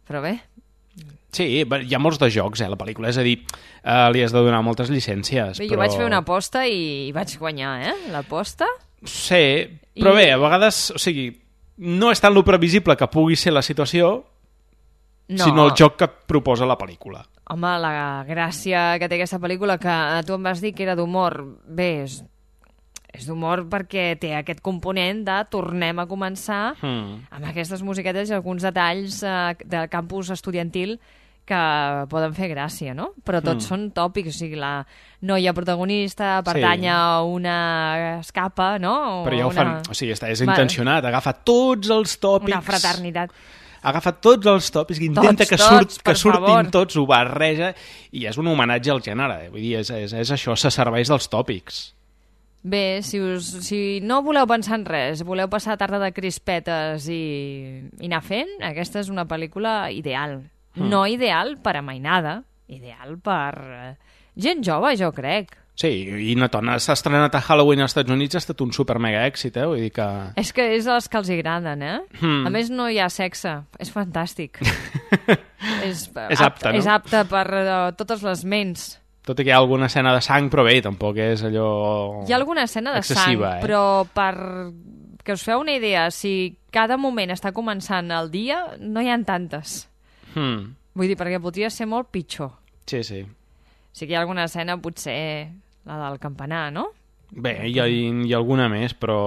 Però bé... Sí, hi ha molts de jocs, eh, la pel·lícula. És a dir, eh, li has de donar moltes llicències. Bé, però... jo vaig fer una aposta i vaig guanyar, eh? L'aposta. Sí, però I... bé, a vegades... O sigui, no és tant lo previsible que pugui ser la situació, no. sinó el joc que et proposa la pel·lícula. Home, la gràcia que té aquesta pel·lícula, que tu em vas dir que era d'humor, bé, és, és d'humor perquè té aquest component de tornem a començar mm. amb aquestes musiquetes i alguns detalls eh, del campus estudiantil que poden fer gràcia, no? Però tots mm. són tòpics, o sigui, la noia protagonista pertany sí. a una escapa, no? O Però ja ho una... fan, o sigui, és intencionat, agafa tots els tòpics... Una fraternitat. Agafa tots els tòpics, que intenta tots, que, surt, tots, que surtin favor. tots, ho barreja, i és un homenatge al gènere. Eh? Vull dir, és, és, és això, se serveix dels tòpics. Bé, si, us, si no voleu pensar en res, voleu passar tarda de crispetes i, i anar fent, aquesta és una pel·lícula ideal. Mm. No ideal per a mainada, ideal per uh, gent jove, jo crec. Sí, i Natona s'ha estrenat a Halloween als Estats Units, ha estat un super mega èxit, eh? Vull dir que... És que és els que els agraden, eh? Mm. A més, no hi ha sexe, és fantàstic. és, és apte, no? És apte per uh, totes les ments. Tot i que hi ha alguna escena de sang, però bé, tampoc és allò... Hi ha alguna escena de sang, eh? Però per que us feu una idea, si cada moment està començant el dia, no hi ha tantes. Hmm. Vull dir, perquè podria ser molt pitjor. Sí, sí. Sí que hi ha alguna escena, potser la del campanar, no? Bé, hi ha, hi ha alguna més, però...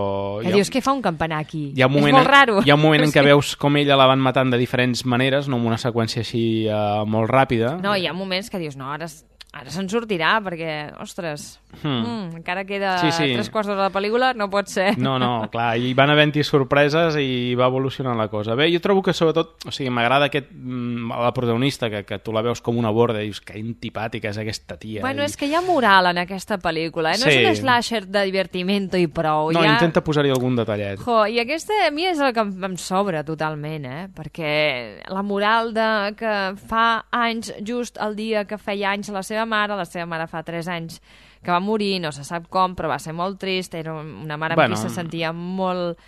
Que ha... dius, què fa un campanar aquí? Hi ha un moment, és molt raro. Hi ha un moment en què sí. veus com ella la van matant de diferents maneres, no amb una seqüència així uh, molt ràpida. No, hi ha moments que dius, no, ara, ara se'n sortirà, perquè, ostres, hmm. mm, encara queda sí, sí. tres quarts d'hora de la pel·lícula, no pot ser. No, no, clar, hi van havent-hi sorpreses i va evolucionant la cosa. Bé, jo trobo que sobretot, o sigui, m'agrada aquest, la protagonista, que, que tu la veus com una borda i dius, que antipàtica és aquesta tia. Bueno, i... és que hi ha moral en aquesta pel·lícula, eh? No sí. és un slasher de divertimento i prou. No, ha... intenta posar-hi algun detallet. Jo, i aquesta a mi és el que em, em sobra totalment, eh? Perquè la moral de que fa anys, just el dia que feia anys la seva mare, la seva mare fa tres anys que va morir, no se sap com, però va ser molt trist, era una mare bueno, amb qui se sentia molt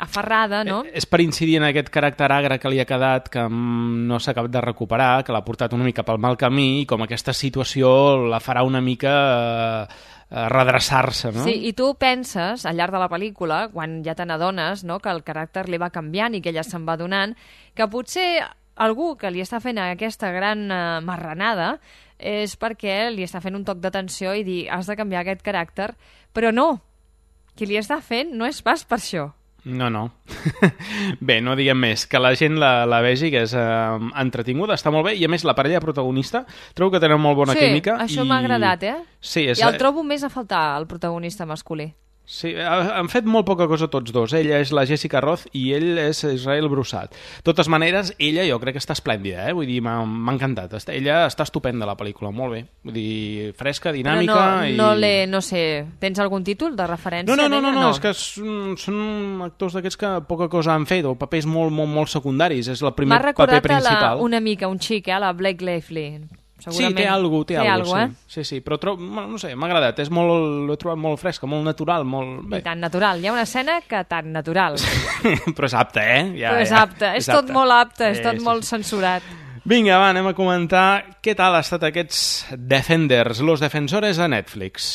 aferrada, no? És per incidir en aquest caràcter agre que li ha quedat, que no s'ha acabat de recuperar, que l'ha portat una mica pel mal camí, i com aquesta situació la farà una mica eh, redreçar-se, no? Sí, i tu penses, al llarg de la pel·lícula, quan ja te n'adones, no?, que el caràcter li va canviant i que ella se'n va donant, que potser algú que li està fent aquesta gran uh, marranada és perquè li està fent un toc d'atenció i dir, has de canviar aquest caràcter, però no, qui li està fent no és pas per això. No, no. Bé, no diguem més. Que la gent la, la vegi, que és eh, entretinguda, està molt bé, i a més la parella protagonista trobo que tenen molt bona sí, química. Sí, això i... m'ha agradat, eh? Sí, és... I el trobo més a faltar, el protagonista masculí. Sí, han fet molt poca cosa tots dos. Ella és la Jessica Roth i ell és Israel Broussard. De totes maneres, ella jo crec que està esplèndida, eh? Vull dir, m'ha encantat. Ella està estupenda, la pel·lícula, molt bé. Vull dir, fresca, dinàmica... Però no, i... no l'he, no sé, tens algun títol de referència? No, no, no, no, no, no. és que són, són actors d'aquests que poca cosa han fet, o papers molt, molt, molt secundaris. És el primer paper principal. M'ha recordat una mica un xic, eh? La Blake Lively. Sí, té alguna cosa, té, té algo, eh? sí. sí, sí, però trob, no sé, m'ha agradat, és molt, l'he trobat molt fresca, molt natural, molt... Bé. I tan natural, hi ha una escena que tan natural. Però és apte, eh? Ja, però és ja, apte, és, és tot apte. molt apte, és sí, tot sí, molt sí. censurat. Vinga, va, anem a comentar què tal ha estat aquests Defenders, los defensores a Netflix.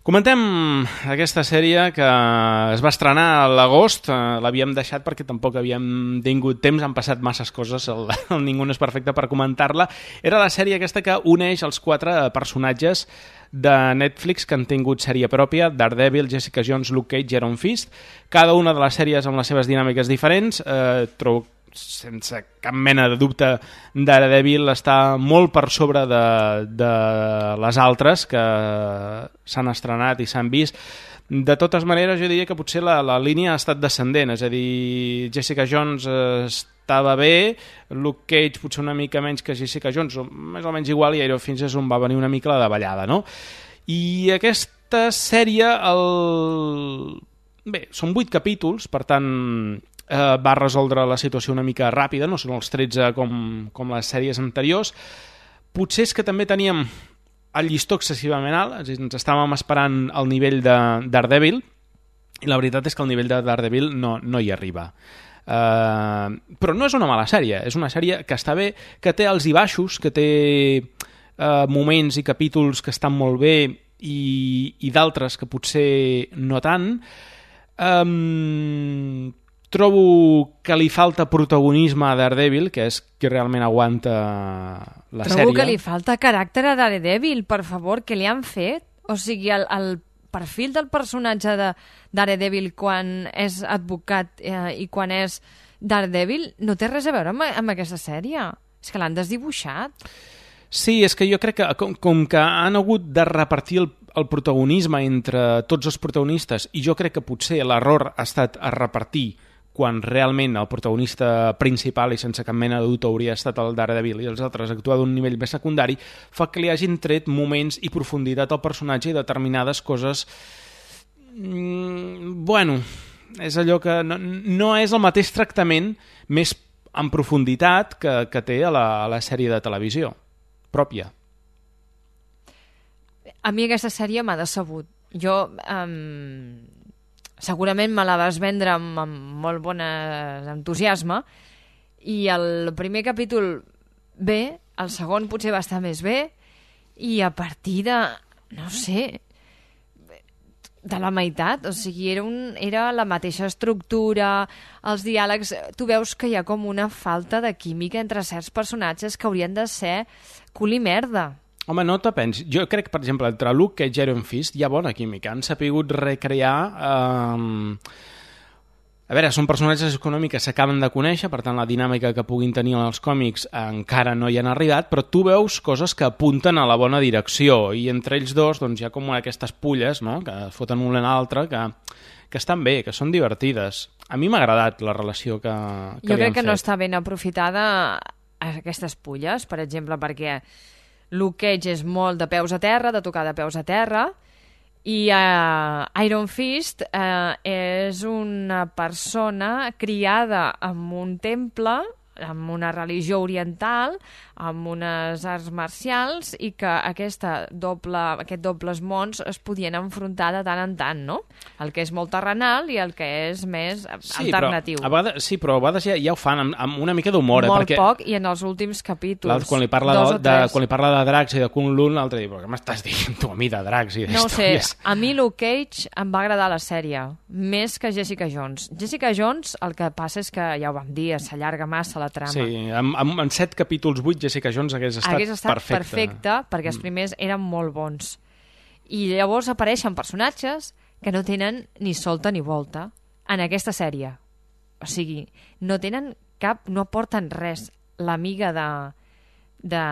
Comentem aquesta sèrie que es va estrenar a l'agost, l'havíem deixat perquè tampoc havíem tingut temps, han passat masses coses, el, el Ningú no és perfecte per comentar-la. Era la sèrie aquesta que uneix els quatre personatges de Netflix que han tingut sèrie pròpia, Daredevil, Jessica Jones, Luke Cage i Iron Fist. Cada una de les sèries amb les seves dinàmiques diferents, eh, trobo sense cap mena de dubte, Daredevil està molt per sobre de, de les altres que s'han estrenat i s'han vist. De totes maneres, jo diria que potser la, la línia ha estat descendent, és a dir, Jessica Jones estava bé, Luke Cage potser una mica menys que Jessica Jones, o més o menys igual, i Iron Fist és on va venir una mica la davallada, no? I aquesta sèrie, el... bé, són vuit capítols, per tant... Eh, va resoldre la situació una mica ràpida, no són els tretze com, com les sèries anteriors. Potser és que també teníem el llistó excessivament alt, és a dir, ens estàvem esperant el nivell de Daredevil, i la veritat és que el nivell de Daredevil no, no hi arriba. Eh, però no és una mala sèrie, és una sèrie que està bé, que té alts i baixos, que té eh, moments i capítols que estan molt bé i, i d'altres que potser no tant. Eh, Trobo que li falta protagonisme a Daredevil, que és qui realment aguanta la Trobo sèrie. Trobo que li falta caràcter a Daredevil, per favor, què li han fet? O sigui, el, el perfil del personatge de Daredevil quan és advocat eh, i quan és Daredevil no té res a veure amb, amb aquesta sèrie. És que l'han desdibuixat. Sí, és que jo crec que com, com que han hagut de repartir el, el protagonisme entre tots els protagonistes, i jo crec que potser l'error ha estat a repartir quan realment el protagonista principal i sense cap mena de dubte hauria estat el Daredevil i els altres actuar d'un nivell més secundari, fa que li hagin tret moments i profunditat al personatge i determinades coses... Mm, bueno, és allò que no, no és el mateix tractament més en profunditat que, que té a la, a la sèrie de televisió pròpia. A mi aquesta sèrie m'ha decebut. Jo... Um... segurament me la vas vendre amb, amb molt bon entusiasme, i el primer capítol bé, el segon potser va estar més bé, i a partir de, no sé, de la meitat, o sigui, era, un, era la mateixa estructura, els diàlegs, tu veus que hi ha com una falta de química entre certs personatges que haurien de ser cul i merda. Home, no te pensis. Jo crec, per exemple, entre Luke Cage i Iron Fist hi ha bona química. Han sapigut recrear... Eh... A veure, són personatges econòmics que s'acaben de conèixer, per tant, la dinàmica que puguin tenir en els còmics encara no hi han arribat, però tu veus coses que apunten a la bona direcció, i entre ells dos doncs, hi ha com aquestes pulles, no?, que foten una a l'altra, que, que estan bé, que són divertides. A mi m'ha agradat la relació que, que jo crec que fet. no està ben aprofitada aquestes pulles, per exemple, perquè Luke Cage és molt de peus a terra, de tocar de peus a terra, i uh, Iron Fist uh, és una persona criada en un temple, amb una religió oriental, amb unes arts marcials, i que aquesta doble, aquest dobles mons es podien enfrontar de tant en tant, no? El que és molt terrenal i el que és més sí, alternatiu. Però a vegades, sí, però a vegades ja, ja ho fan amb, amb una mica d'humor. Molt eh, perquè poc, i en els últims capítols. Quan li parla de, de, quan li parla de dracs i de Kung Lun, l'altre diu, però què m'estàs dient tu a mi de dracs i no d'històries? sé, a mi Luke Cage em va agradar la sèrie, més que Jessica Jones. Jessica Jones, el que passa és que, ja ho vam dir, s'allarga massa la trama. Sí, en, en, en set capítols, vuit, Jessica Jones hagués estat, hagués estat perfecte. perfecte, perquè els primers eren molt bons. I llavors apareixen personatges que no tenen ni solta ni volta en aquesta sèrie. O sigui, no tenen cap, no aporten res. L'amiga de, de,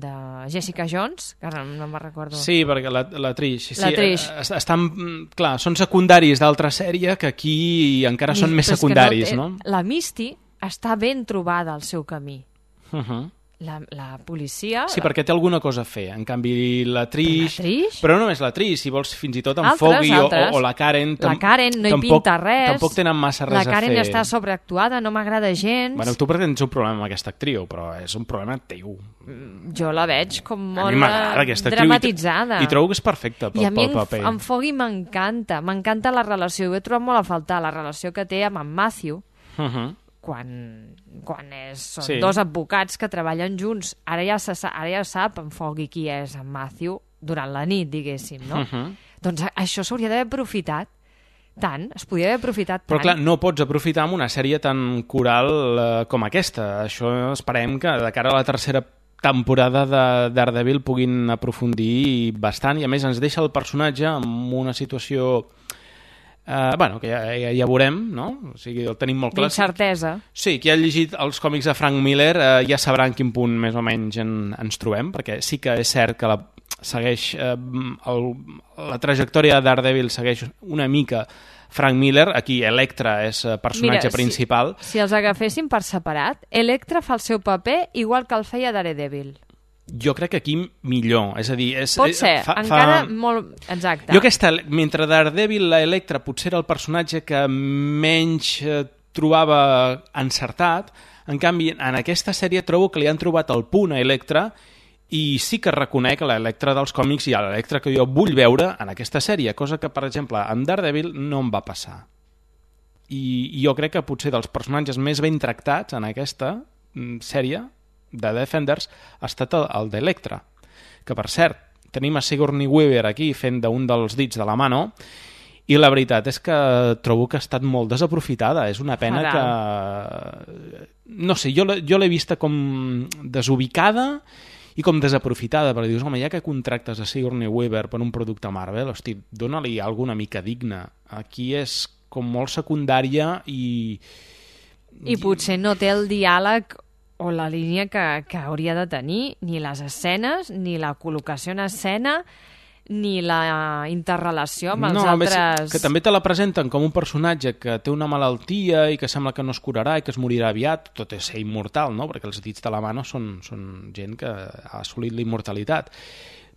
de Jessica Jones, que ara no me'n recordo. Sí, perquè la, la Trish. Sí, la Trish. Estan, clar, són secundaris d'altra sèrie que aquí encara són més secundaris, no, no? La Misty està ben trobada al seu camí. Uh-huh. La, la policia... Sí, perquè té alguna cosa a fer. En canvi, la Trish... La Trish? Però no només la Trish, si vols fins i tot en altres, Foggy o, altres. o, o la Karen... La Karen no hi tampoc, pinta res. Tampoc tenen massa res a fer. La Karen està sobreactuada, no m'agrada gens. Bueno, tu perquè tens un problema amb aquesta actriu, però és un problema teu. Jo la veig com molt dramatitzada. dramatitzada. I, i trobo que és perfecta pel, I a mi pel paper. en Foggy m'encanta. M'encanta la relació. Ho he trobat molt a faltar, la relació que té amb en Matthew. Uh-huh. quan, quan és, són sí. dos advocats que treballen junts. Ara ja, se, ara ja sap en Foggy qui és en Matthew durant la nit, diguéssim, no? Uh-huh. Doncs això s'hauria d'haver aprofitat tant, es podria haver aprofitat tant. Però clar, no pots aprofitar amb una sèrie tan coral eh, com aquesta. Això esperem que de cara a la tercera temporada de Daredevil puguin aprofundir bastant, i a més ens deixa el personatge en una situació... Uh, bueno, que ja, ja, ja veurem, no? O sigui, el tenim molt clar. D'incertesa. Sí, qui ha llegit els còmics de Frank Miller uh, ja sabrà en quin punt més o menys en, ens trobem, perquè sí que és cert que la, segueix uh, el, la trajectòria de Daredevil segueix una mica Frank Miller. Aquí Elektra és personatge Mira, principal. Si, si els agaféssim per separat, Elektra fa el seu paper igual que el feia Daredevil. Jo crec que aquí millor, és a dir... És, Pot ser, fa, encara fa... molt... Exacte. Jo aquesta, mentre Daredevil, la Elektra, potser era el personatge que menys eh, trobava encertat, en canvi, en aquesta sèrie trobo que li han trobat el punt a Elektra, i sí que reconec l'Elektra dels còmics i l'Elektra que jo vull veure en aquesta sèrie, cosa que, per exemple, en Daredevil no em va passar. I, i jo crec que potser dels personatges més ben tractats en aquesta sèrie de Defenders ha estat el, el d'Elektra, que per cert tenim a Sigourney Weaver aquí fent d'un dels dits de la mano, i la veritat és que trobo que ha estat molt desaprofitada. És una pena Faral. que... No sé, jo, jo l'he vista com desubicada i com desaprofitada, perquè dius, home, ja que contractes a Sigourney Weaver per un producte Marvel, hosti, dóna-li alguna mica digna. Aquí és com molt secundària i... I potser no té el diàleg o la línia que, que hauria de tenir, ni les escenes, ni la col·locació en escena, ni la interrelació amb els no, altres... Que també te la presenten com un personatge que té una malaltia i que sembla que no es curarà i que es morirà aviat, tot és ser immortal, no? Perquè els dits de la mano són, són gent que ha assolit la immortalitat.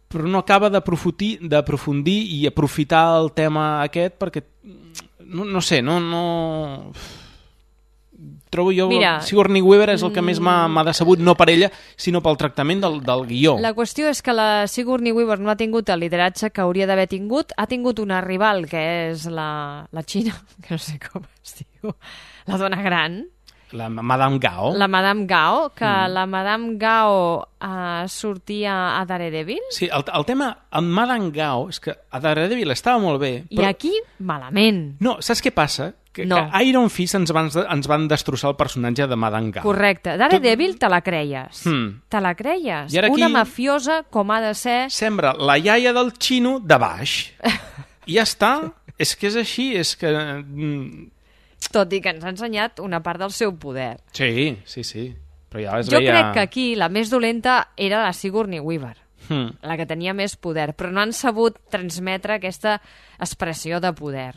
Però no acaba d'aprofundir i aprofitar el tema aquest perquè, no, no sé, no... no... trobo jo... Mira, Sigourney Weaver és el que més m'ha decebut, no per ella, sinó pel tractament del, del guió. La qüestió és que la Sigourney Weaver no ha tingut el lideratge que hauria d'haver tingut, ha tingut una rival, que és la, la Xina, que no sé com es diu, la dona gran. La Madame Gao. La Madame Gao, que Mm. la Madame Gao uh, sortia a Daredevil. Sí, el, el tema amb Madame Gao és que a Daredevil estava molt bé, I però... aquí, malament. No, saps què passa? Que, No. que Iron Fist ens van, ens van destrossar el personatge de Madame Gao. Correcte. Daredevil te la creies. Hmm. Te la creies. I ara aquí- Una mafiosa com ha de ser... Sembra la iaia del xino de baix. I ja està. És que és així, és que... mm, Tot i que ens ha ensenyat una part del seu poder. Sí, sí, sí. Però ja es Jo veia... crec que aquí la més dolenta era la Sigourney Weaver, Hmm. la que tenia més poder, però no han sabut transmetre aquesta expressió de poder.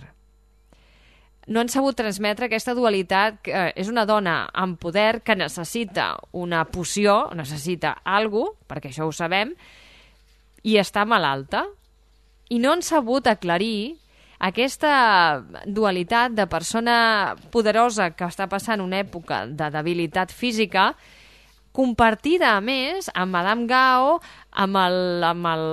No han sabut transmetre aquesta dualitat, que eh, és una dona amb poder que necessita una poció, necessita alguna cosa, perquè això ho sabem, i està malalta. I no han sabut aclarir aquesta dualitat de persona poderosa que està passant una època de debilitat física, compartida, a més, amb Madame Gao, amb el, amb el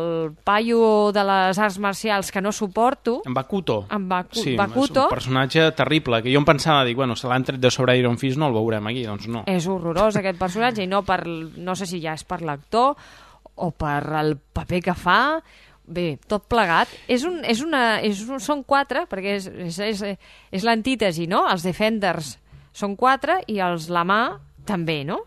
paio de les arts marcials que no suporto. En Bakuto. En Baku, Sí, Bakuto. és un personatge terrible, que jo em pensava, dic, bueno, se l'han tret de sobre Iron Fist, no el veurem aquí, doncs no. És horrorós aquest personatge, i no per, no sé si ja és per l'actor o per el paper que fa. Bé, tot plegat. És un, és una, és un, són quatre, perquè és, és, és, és l'antítesi, no? Els Defenders són quatre i els Lamar també, no?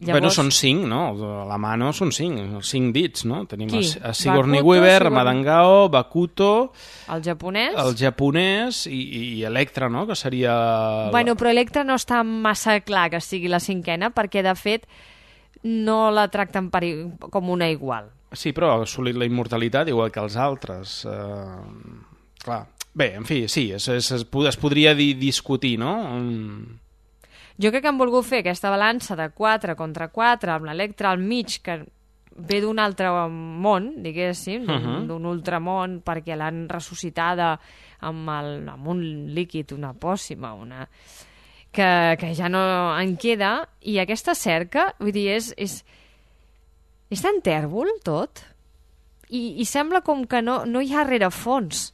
Llavors... Bueno, són cinc, no? La mà no són cinc, cinc dits, no? Tenim Qui? a Sigourney Bakuto, Weaver, Sigourney- Madame Gao, Bakuto, El japonès. el japonès i, i Electra, no? Que seria... Bueno, però Electra no està massa clar que sigui la cinquena, perquè, de fet, no la tracten per, i- com una igual. Sí, però ha assolit la immortalitat igual que els altres. Uh, clar. Bé, en fi, sí, es, es, es, es podria di, discutir, no? Um... Jo crec que han volgut fer aquesta balança de quatre contra quatre, amb l'Electra al mig, que ve d'un altre món, diguéssim, d'un Uh-huh. d'un ultramón, perquè l'han ressuscitada amb, el, amb un líquid, una pòssima, una... Que, que ja no en queda, i aquesta cerca, vull dir, és, és, és tan tèrbol tot, i, i sembla com que no, no hi ha rerefons.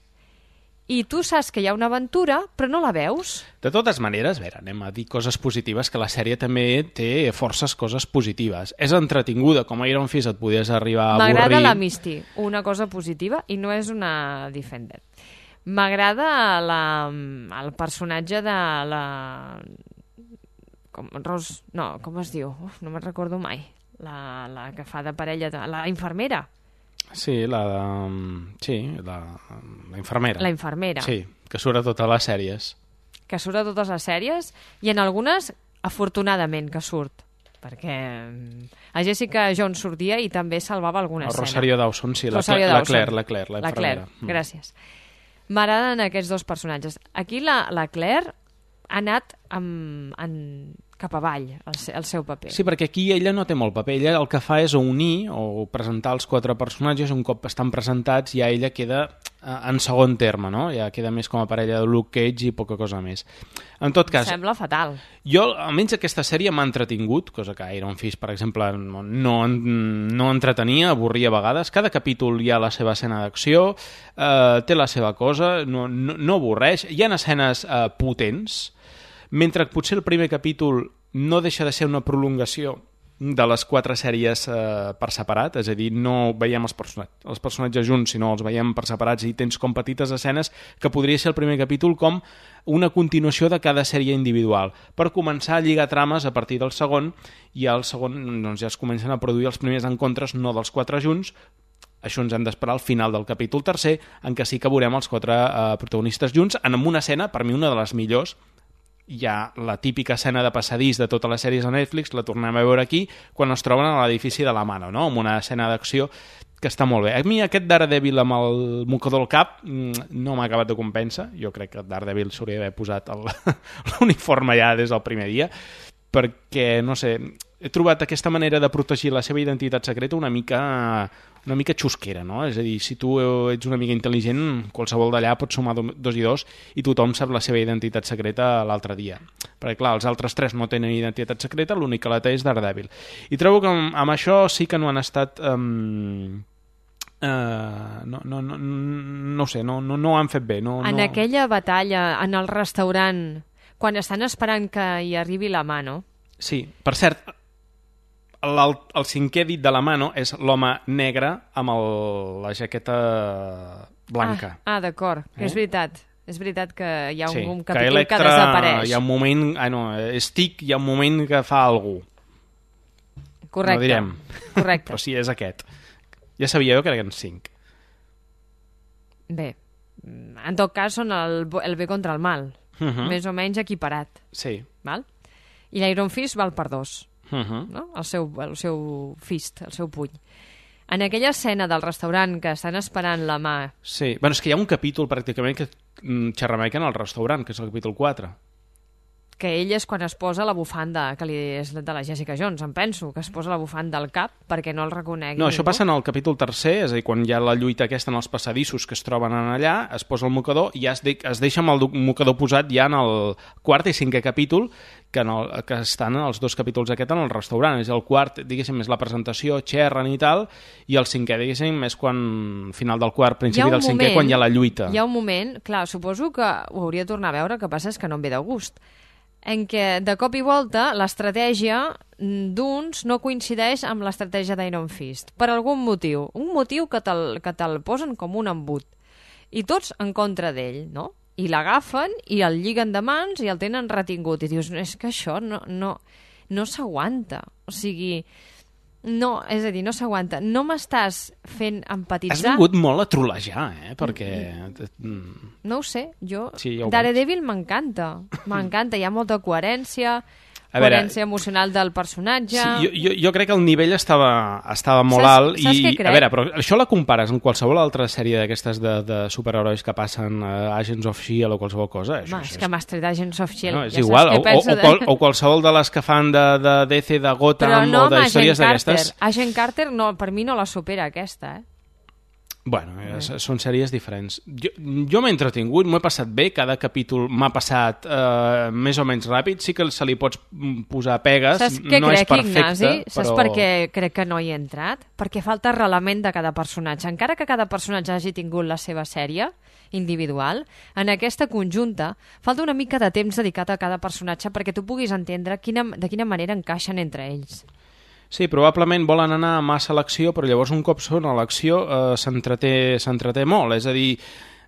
I tu saps que hi ha una aventura, però no la veus. De totes maneres, a veure, anem a dir coses positives, que la sèrie també té forces coses positives. És entretinguda, com a Iron Fist et podies arribar a avorrir. M'agrada la Misty, una cosa positiva, i no és una Defender. M'agrada la, el personatge de la... Com, Ros... No, com es diu? Uf, no me'n recordo mai. La, la que fa de parella... De, la infermera. Sí, la de... Sí, la, la infermera. La infermera. Sí, que surt a totes les sèries. Que surt a totes les sèries, i en algunes, afortunadament, que surt. Perquè a Jessica Jones sortia i també salvava alguna El escena. Rosario Dawson, sí, la, Rosario la Dawson. Claire, la Claire, la La Claire, infermera. Mm. gràcies. M'agraden aquests dos personatges. Aquí la, la Claire ha anat amb, en, cap avall, el, se- el seu paper. Sí, perquè aquí ella no té molt paper. Ella el que fa és unir o presentar els quatre personatges. Un cop estan presentats ja ella queda eh, en segon terme, no? Ja queda més com a parella de Luke Cage i poca cosa més. En tot cas, Sembla fatal. jo, almenys aquesta sèrie m'ha entretingut, cosa que Iron Fist, per exemple, no, no, no entretenia, avorria a vegades. Cada capítol hi ha la seva escena d'acció, eh, té la seva cosa, no, no, no avorreix. Hi ha escenes eh, potents, mentre que potser el primer capítol no deixa de ser una prolongació de les quatre sèries eh, per separat, és a dir, no veiem els, person els personatges junts, sinó els veiem per separats, i tens com petites escenes que podria ser el primer capítol com una continuació de cada sèrie individual, per començar a lligar trames a partir del segon, i al segon doncs, ja es comencen a produir els primers encontres, no dels quatre junts. Això ens hem d'esperar al final del capítol tercer, en què sí que veurem els quatre eh, protagonistes junts, en una escena, per mi una de les millors. Hi ha la típica escena de passadís de totes les sèries a Netflix, la tornem a veure aquí, quan es troben a l'edifici de la Mano, no? Amb una escena d'acció que està molt bé. A mi aquest Daredevil amb el mocador al cap mm, no m'ha acabat de convèncer. Jo crec que Daredevil s'hauria d'haver posat el- l'uniforme ja des del primer dia. perquè, no sé, he trobat aquesta manera de protegir la seva identitat secreta una mica, una mica xusquera, no? És a dir, si tu ets una mica intel·ligent, qualsevol d'allà pot sumar dos i dos i tothom sap la seva identitat secreta l'altre dia. Perquè, clar, els altres tres no tenen identitat secreta, l'únic que la té és Daredevil. I trobo que amb, amb això sí que no han estat... Um, uh, no, no, no, no ho sé, no, no, no ho han fet bé. No, en no... aquella batalla, en el restaurant, quan estan esperant que hi arribi la mano... Sí, per cert, el, el cinquè dit de la mano és l'home negre amb el, la jaqueta blanca. Ah, ah d'acord, eh? És veritat. És veritat que hi ha un, sí, un capítol que, Electra, que desapareix. Hi ha un moment... Ah, no, Stick hi ha un moment que fa algú. Correcte. No direm. Correcte. Però sí, és aquest. Ja sabia jo que eren cinc. Bé, en tot cas són el, el bé contra el mal. Uh -huh. Més o menys equiparat. Sí. Val? I l'Iron Fist val per dos. Uh -huh. No? El seu, el seu fist, el seu puny. En aquella escena del restaurant que estan esperant la mà... Sí, bueno, és que hi ha un capítol pràcticament que xerramequen al restaurant, que és el capítol quatre. Que ell és quan es posa la bufanda, que li és de la Jessica Jones, em penso, que es posa la bufanda al cap perquè no el reconegui No, ningú. això passa en el capítol tercer, és a dir, quan hi ha la lluita aquesta en els passadissos que es troben allà, es posa el mocador i ja es, de, es deixa amb el mocador posat ja en el quart i cinquè capítol, que, en el, que estan els dos capítols aquest en el restaurant. És el quart, diguéssim, és la presentació, xerren i tal, i el cinquè, diguéssim, és quan, final del quart, principi del cinquè, moment, quan hi ha la lluita. Hi ha un moment, clar, suposo que ho hauria de tornar a veure, que passa és que no em ve de gust, en què de cop i volta l'estratègia d'uns no coincideix amb l'estratègia d'Iron Fist, per algun motiu. Un motiu que te'l que te'l posen com un embut. I tots en contra d'ell, no? I l'agafen i el lliguen de mans i el tenen retingut. I dius, és que això no, no, no s'aguanta. O sigui... No, és a dir, no s'aguanta. No m'estàs fent empatitzar... Has vingut molt a trolejar, eh? Perquè... No ho sé, jo... Sí, ja Daredevil m'encanta. M'encanta, hi ha molta coherència, a coherència veure, emocional del personatge... Sí, jo, jo, jo crec que el nivell estava, estava molt saps, alt. Saps i, què crec? A veure, però això la compares amb qualsevol altra sèrie d'aquestes de, de superherois que passen a Agents of S H I E L D o qualsevol cosa. Això, Ma, això és que m'has tret Agents of S H I E L D. No, és ja igual, o, o, de... o, qual, o qualsevol de les que fan de, de D C, de Gotham no, o de històries d'aquestes. Agent Carter no, per mi no la supera aquesta, eh? Bueno, eh, són sèries diferents. Jo, jo m'he entretingut, m'ho he passat bé, cada capítol m'ha passat eh, més o menys ràpid, sí que se li pots posar pegues, Saps què no crec, és perfecte, Ignasi? però... Saps per què crec que no hi he entrat? Perquè falta arrelament de cada personatge. Encara que cada personatge hagi tingut la seva sèrie individual, en aquesta conjunta falta una mica de temps dedicat a cada personatge perquè tu puguis entendre quina, de quina manera encaixen entre ells. Sí, probablement volen anar massa a l'acció, però llavors un cop són a l'acció eh, s'entreté s'entreté molt, és a dir,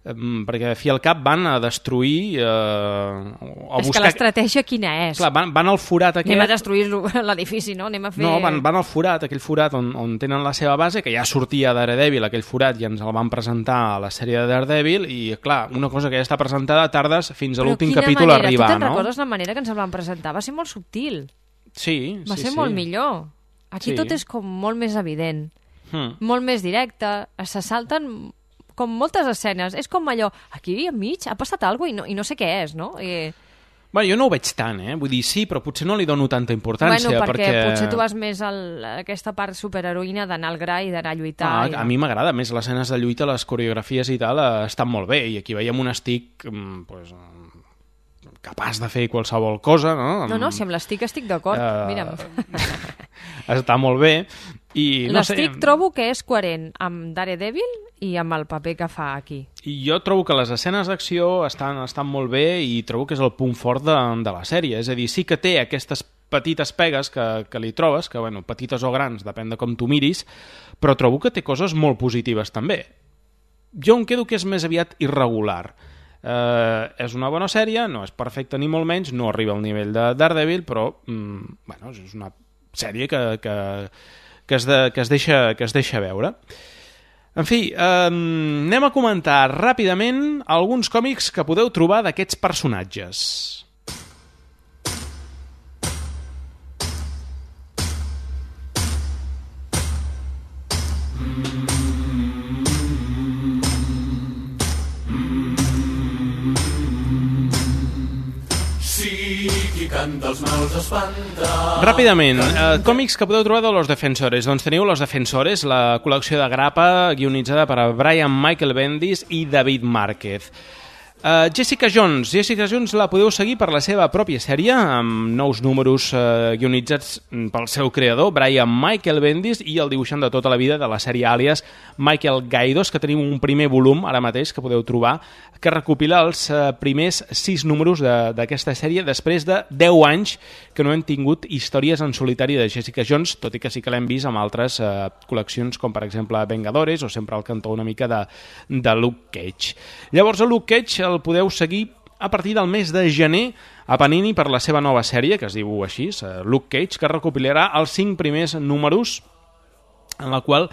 eh, perquè a fi al cap van a destruir... Eh, a és buscar... que l'estratègia quina és? Clar, van, van al forat aquest... Anem a destruir l'edifici, no? Anem a fer... No, van, van al forat, aquell forat on, on tenen la seva base, que ja sortia Daredevil, aquell forat, i ens el van presentar a la sèrie de Daredevil, i clar, una cosa que ja està presentada tardes fins a l'últim capítol manera? arribar, no? Tu te'n no? recordes la manera que ens el van presentar? Va ser molt subtil. Sí, Va sí, ser sí. molt millor. Aquí sí. tot és com molt més evident, hmm. molt més directe, se salten com moltes escenes. És com allò, aquí enmig ha passat alguna cosa i no, i no sé què és, no? I... Bueno, jo no ho veig tant, eh? Vull dir, sí, però potser no li dono tanta importància. Bueno, perquè, perquè... potser tu vas més a aquesta part superheroïna d'anar al gra i d'anar a lluitar. Ah, i... A mi m'agrada més les escenes de lluita, les coreografies i tal, eh, estan molt bé. I aquí veiem un Stick pues, capaç de fer qualsevol cosa, no? No, no, si amb l'Stick estic d'acord, uh... mira'm. Està molt bé. I, no L'Stick sé... trobo que és coherent amb Daredevil i amb el paper que fa aquí. I jo trobo que les escenes d'acció estan, estan molt bé i trobo que és el punt fort de, de la sèrie. És a dir, sí que té aquestes petites pegues que, que li trobes, que, bueno, petites o grans, depèn de com tu miris, però trobo que té coses molt positives també. Jo em quedo que és més aviat irregular. Eh, és una bona sèrie, no és perfecta ni molt menys, no arriba al nivell de Daredevil, però mm, bueno, és una sèrie que, que, que, es de, que, es deixa, que es deixa veure. En fi, eh, anem a comentar ràpidament alguns còmics que podeu trobar d'aquests personatges. tant dels mals espanta. Ràpidament, eh, còmics que podeu trobar de Los Defensores. Doncs teniu Los Defensores, la col·lecció de grapa guionitzada per Brian Michael Bendis i David Márquez. Uh, Jessica Jones. Jessica Jones la podeu seguir per la seva pròpia sèrie, amb nous números uh, guionitzats pel seu creador, Brian Michael Bendis, i el dibuixant de tota la vida de la sèrie Àlies, Michael Gaidos, que tenim un primer volum ara mateix que podeu trobar, que recopila els uh, primers sis números d'aquesta sèrie després de deu anys que no hem tingut històries en solitari de Jessica Jones, tot i que sí que l'hem vist amb altres uh, col·leccions, com per exemple Vengadores, o sempre al cantó una mica de, de Luke Cage. Llavors, el Luke Cage el podeu seguir a partir del mes de gener a Panini per la seva nova sèrie, que es diu així, Luke Cage, que recopilarà els cinc primers números en la qual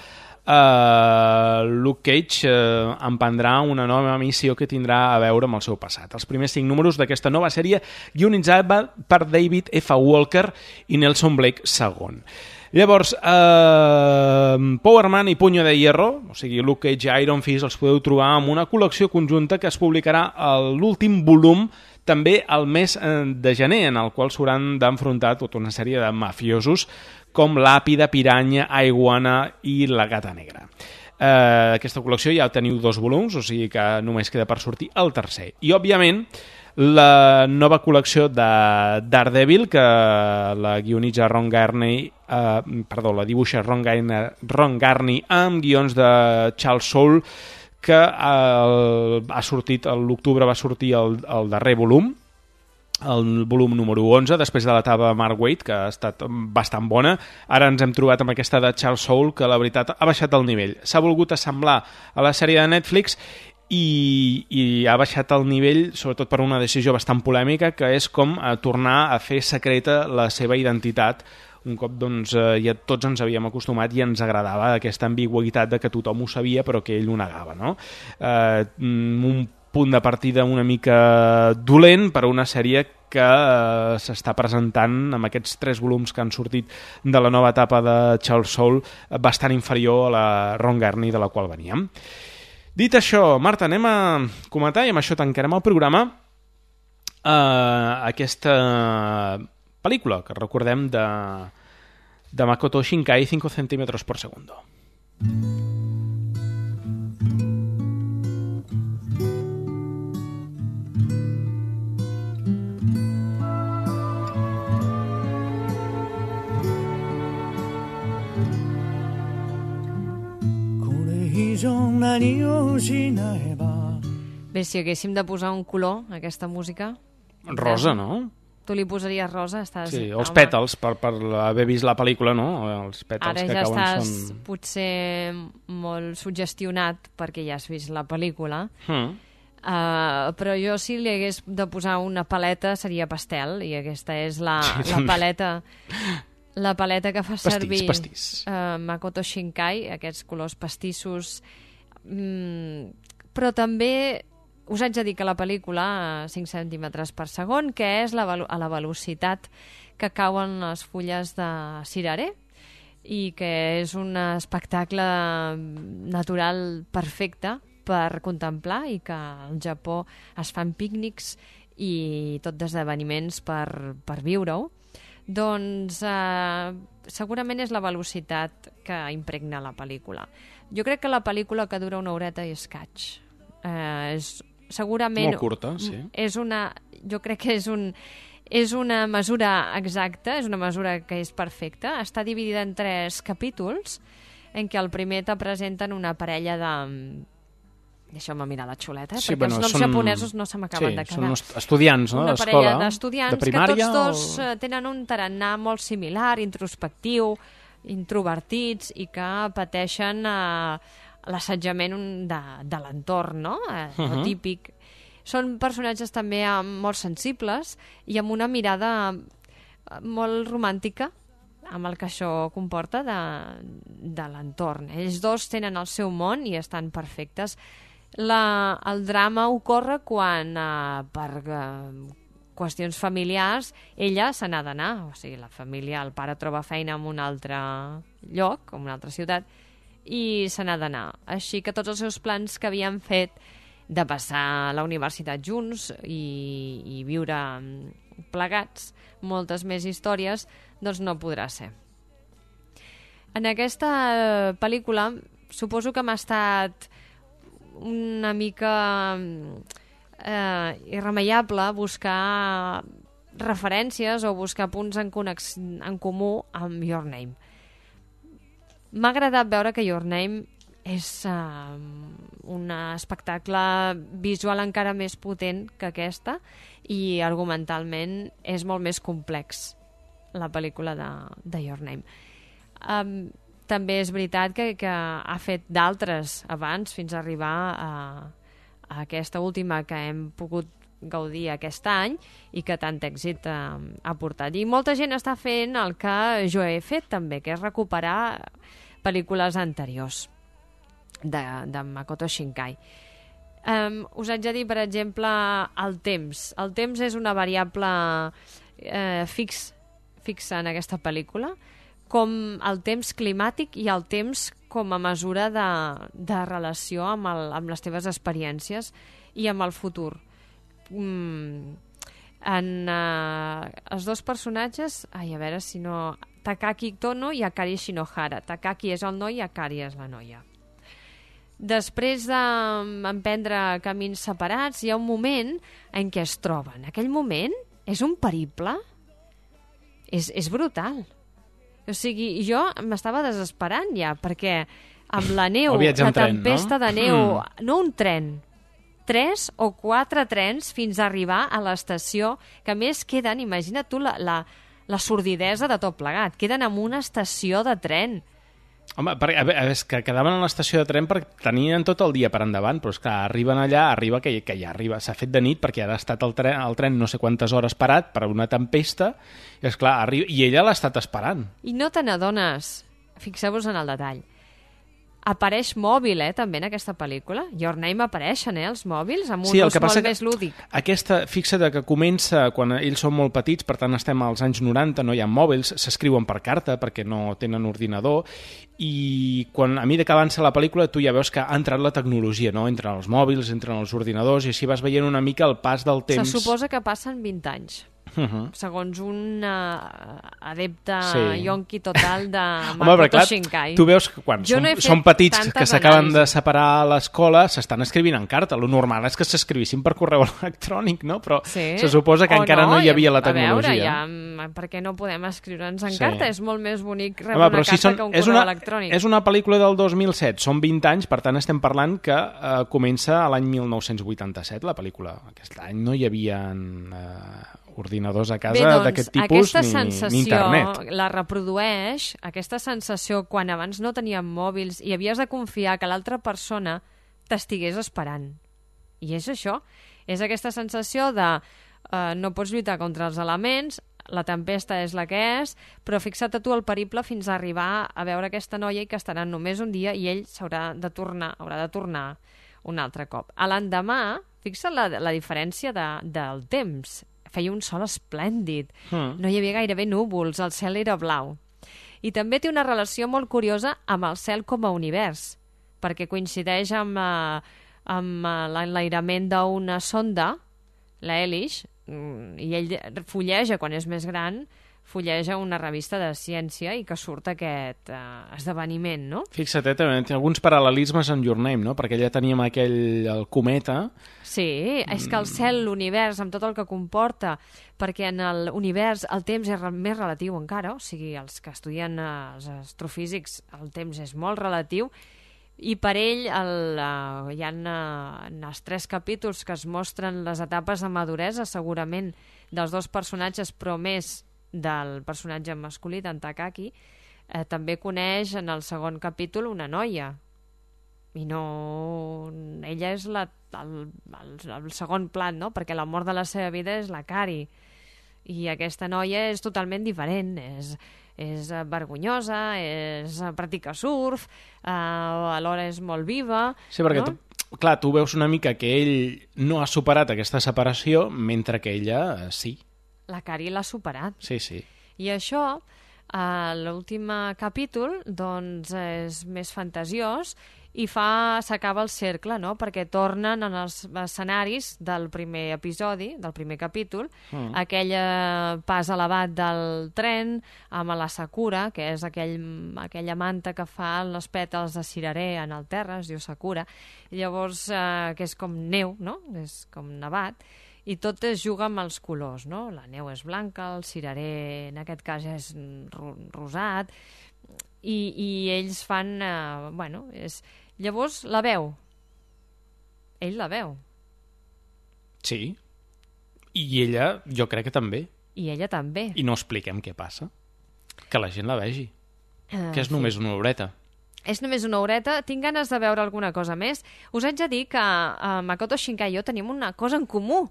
eh, Luke Cage eh, emprendrà una nova missió que tindrà a veure amb el seu passat. Els primers cinc números d'aquesta nova sèrie guionitzada per David F. Walker i Nelson Blake segon. Llavors, eh, Power Man i Puño de Hierro, o sigui, Luke Cage i Iron Fist, els podeu trobar en una col·lecció conjunta que es publicarà a l'últim volum també al mes de gener, en el qual s'hauran d'enfrontar tota una sèrie de mafiosos com l'Àpida, Piranya, Aiguana i la Gata Negra. Eh, aquesta col·lecció ja teniu dos volums, o sigui que només queda per sortir el tercer. I, òbviament, la nova col·lecció de Daredevil, que la guionitza Ron Garney, eh, perdó, la dibuixa Ron Garney, Ron Garney amb guions de Charles Soule, que eh, ha sortit, l'octubre va sortir el, el darrer volum, el volum número onze, després de l'etapa Mark Waid, que ha estat bastant bona. Ara ens hem trobat amb aquesta de Charles Soule, que la veritat ha baixat el nivell. S'ha volgut assemblar a la sèrie de Netflix i, i ha baixat el nivell, sobretot per una decisió bastant polèmica, que és com eh, tornar a fer secreta la seva identitat, un cop doncs, eh, ja tots ens havíem acostumat i ens agradava aquesta ambigüitat de que tothom ho sabia però que ell ho negava, no? Eh, un punt de partida una mica dolent per a una sèrie que eh, s'està presentant amb aquests tres volums que han sortit de la nova etapa de Charles Soule, bastant inferior a la Ron Garney de la qual veníem. Dit això, Marta, anem a comentar, i amb això tancarem el programa, eh, aquesta pel·lícula que recordem de, de Makoto Shinkai, cinco centímetros por segundo. Bé, si haguéssim de posar un color a aquesta música... Rosa, no? Tu li posaries rosa? Estàs... Sí, els pètals, per, per haver vist la pel·lícula, no? Els pètals Ara que ja cauen estàs són... potser molt suggestionat perquè ja has vist la pel·lícula, Mm. uh, però jo si li hagués de posar una paleta seria pastel, i aquesta és la, Sí, la paleta... La paleta que fa Pastís, servir pastís. Uh, Makoto Shinkai, aquests colors pastissos, mm, però també us haig de dir que la pel·lícula a cinc centímetres per segon, que és la, a la velocitat que cauen les fulles de cirerer, i que és un espectacle natural perfecte per contemplar, i que al Japó es fan pícnics i tot d'esdeveniments per, per viure-ho. Doncs eh, segurament és la velocitat que impregna la pel·lícula. Jo crec que la pel·lícula, que dura una horeta i escaig, eh, és segurament... Molt curta, sí. És una, jo crec que és, un, és una mesura exacta, és una mesura que és perfecta. Està dividida en tres capítols, en què el primer te presenten una parella de... Deixeu-me mirar la xuleta, eh? Sí, perquè bueno, els noms són... japonesos no se m'acaben sí, de quedar. Són estudiants, no? Una d'escola, parella d'estudiants de primària, que tots dos o... tenen un tarannà molt similar, introspectiu, introvertits, i que pateixen eh, l'assetjament de, de l'entorn, no? Eh, Uh-huh. el típic. Són personatges també eh, molt sensibles i amb una mirada eh, molt romàntica, amb el que això comporta de, de l'entorn. Ells dos tenen el seu món i estan perfectes. La, el drama ocorre quan, eh, per eh, qüestions familiars, ella se n'ha d'anar. O sigui, la família, el pare troba feina en un altre lloc, en una altra ciutat, i se n'ha d'anar. Així que tots els seus plans que havien fet de passar a la universitat junts i, i viure plegats moltes més històries, doncs no podrà ser. En aquesta pel·lícula suposo que m'ha estat una mica eh, irremeiable buscar referències o buscar punts en, conex... en comú amb Your Name. M'ha agradat veure que Your Name és uh, un espectacle visual encara més potent que aquesta i argumentalment és molt més complex la pel·lícula de, de Your Name. Um, també és veritat que, que ha fet d'altres abans fins a arribar a, a aquesta última que hem pogut gaudir aquest any i que tant èxit eh, ha portat. I molta gent està fent el que jo he fet també, que és recuperar pel·lícules anteriors de, de Makoto Shinkai. Um, us haig de dir, per exemple, el temps. El temps és una variable eh, fix, fixa en aquesta pel·lícula, com el temps climàtic i el temps com a mesura de, de relació amb, el, amb les teves experiències i amb el futur. Mm, en uh, els dos personatges, ai, a veure si no... Takaki Tono i Akari Shinohara. Takaki és el noi i Akari és la noia. Després d'emprendre camins separats, hi ha un moment en què es troben. Aquell moment és un periple. És, és brutal. O sigui, jo m'estava desesperant ja, perquè amb la neu, la tempesta tren, no? de neu, mm. no un tren, tres o quatre trens fins a arribar a l'estació, que a més queden, imagina't tu la, la, la sordidesa de tot plegat, queden en una estació de tren. Home, perquè, a veure, és que quedaven a l'estació de tren perquè tenien tot el dia per endavant, però és que arriben allà, arriba que, que ja arriba, s'ha fet de nit perquè ha estat el tren, el tren no sé quantes hores parat per una tempesta, i esclar, arriba, i ella l'ha estat esperant. I no te n'adones, fixeu-vos en el detall, apareix mòbil, eh, també en aquesta pel·lícula. Your Name apareixen, eh, els mòbils, amb un sí, ús molt més lúdic. Aquesta, fixa't que comença quan ells són molt petits, per tant estem als anys noranta, no hi ha mòbils, s'escriuen per carta perquè no tenen ordinador, i quan a mesura que avança la pel·lícula tu ja veus que ha entrat la tecnologia, no? Entren els mòbils, entren els ordinadors, i així vas veient una mica el pas del temps. Se suposa que passen vint anys. Uh-huh. Segons un uh, adepte sí. yonqui total de Makoto Shinkai. Tu veus que quan som, són petits que s'acaben de separar a l'escola s'estan escrivint en carta. Lo normal és que s'escrivissin per correu electrònic, no? Però sí. se suposa que o encara no, no hi havia la tecnologia. A veure, ja, per què no podem escriure'ns en sí. carta? És molt més bonic rebre Home, una carta si són, que un correu una, electrònic. És una pel·lícula del dos mil set, són vint anys, per tant estem parlant que eh, comença a l'any mil nou-cents vuitanta-set la pel·lícula. Aquest any no hi havia eh, ordinadors a casa doncs, d'aquest tipus ni, ni internet. La reprodueix, aquesta sensació quan abans no teníem mòbils i havies de confiar que l'altra persona t'estigués esperant. I és això, és aquesta sensació de eh, no pots lluitar contra els elements, la tempesta és la que és, però fixa't a tu el periple fins a arribar a veure aquesta noia i que estaran només un dia i ell s'haurà de tornar, haurà de tornar un altre cop. A l'endemà, fixa't la, la diferència de, del temps. Feia un sol esplèndid, mm. no hi havia gairebé núvols, el cel era blau. I també té una relació molt curiosa amb el cel com a univers, perquè coincideix amb, uh, amb uh, l'enlairament d'una sonda, la Elish, i ell fulleja, quan és més gran, fulleja una revista de ciència i que surt aquest uh, esdeveniment, no? Fixa't, eh, també té alguns paral·lelismes en Your Name, no? Perquè ja teníem aquell el cometa. Sí, és que el cel, l'univers, amb tot el que comporta, perquè en l'univers el temps és més relatiu encara, o sigui, els que estudien uh, els astrofísics, el temps és molt relatiu, i per ell el, uh, hi ha uh, en els tres capítols que es mostren les etapes de maduresa, segurament, dels dos personatges, però més del personatge masculí, d'en Takaki, eh, també coneix en el segon capítol una noia. I no... Ella és la, el, el, el segon plat, no? Perquè l'amor de la seva vida és la Kari. I aquesta noia és totalment diferent. És, és vergonyosa, és, practica surf, eh, alhora és molt viva... Sí, perquè no? tu, clar, tu veus una mica que ell no ha superat aquesta separació, mentre que ella eh, sí. La Kari l'ha superat. Sí, sí. I això, a l'últim capítol, doncs és més fantasiós i fa s'acaba el cercle, no? Perquè tornen en els escenaris del primer episodi, del primer capítol, mm. aquell pas elevat del tren amb la Sakura, que és aquell, aquella manta que fa els pètals de cirerer en el terra, es diu Sakura, llavors eh, que és com neu, no? És com nevat, i tot es juga amb els colors, no? La neu és blanca, el cirerer en aquest cas és rosat, i, i ells fan... Eh, bueno, és... Llavors la veu. Ell la veu. Sí. I ella, jo crec que també. I ella també. I no expliquem què passa. Que la gent la vegi. Uh, que és només sí. una horeta. És només una horeta. Tinc ganes de veure alguna cosa més. Us haig de dir que uh, Makoto Shinkai i jo tenim una cosa en comú.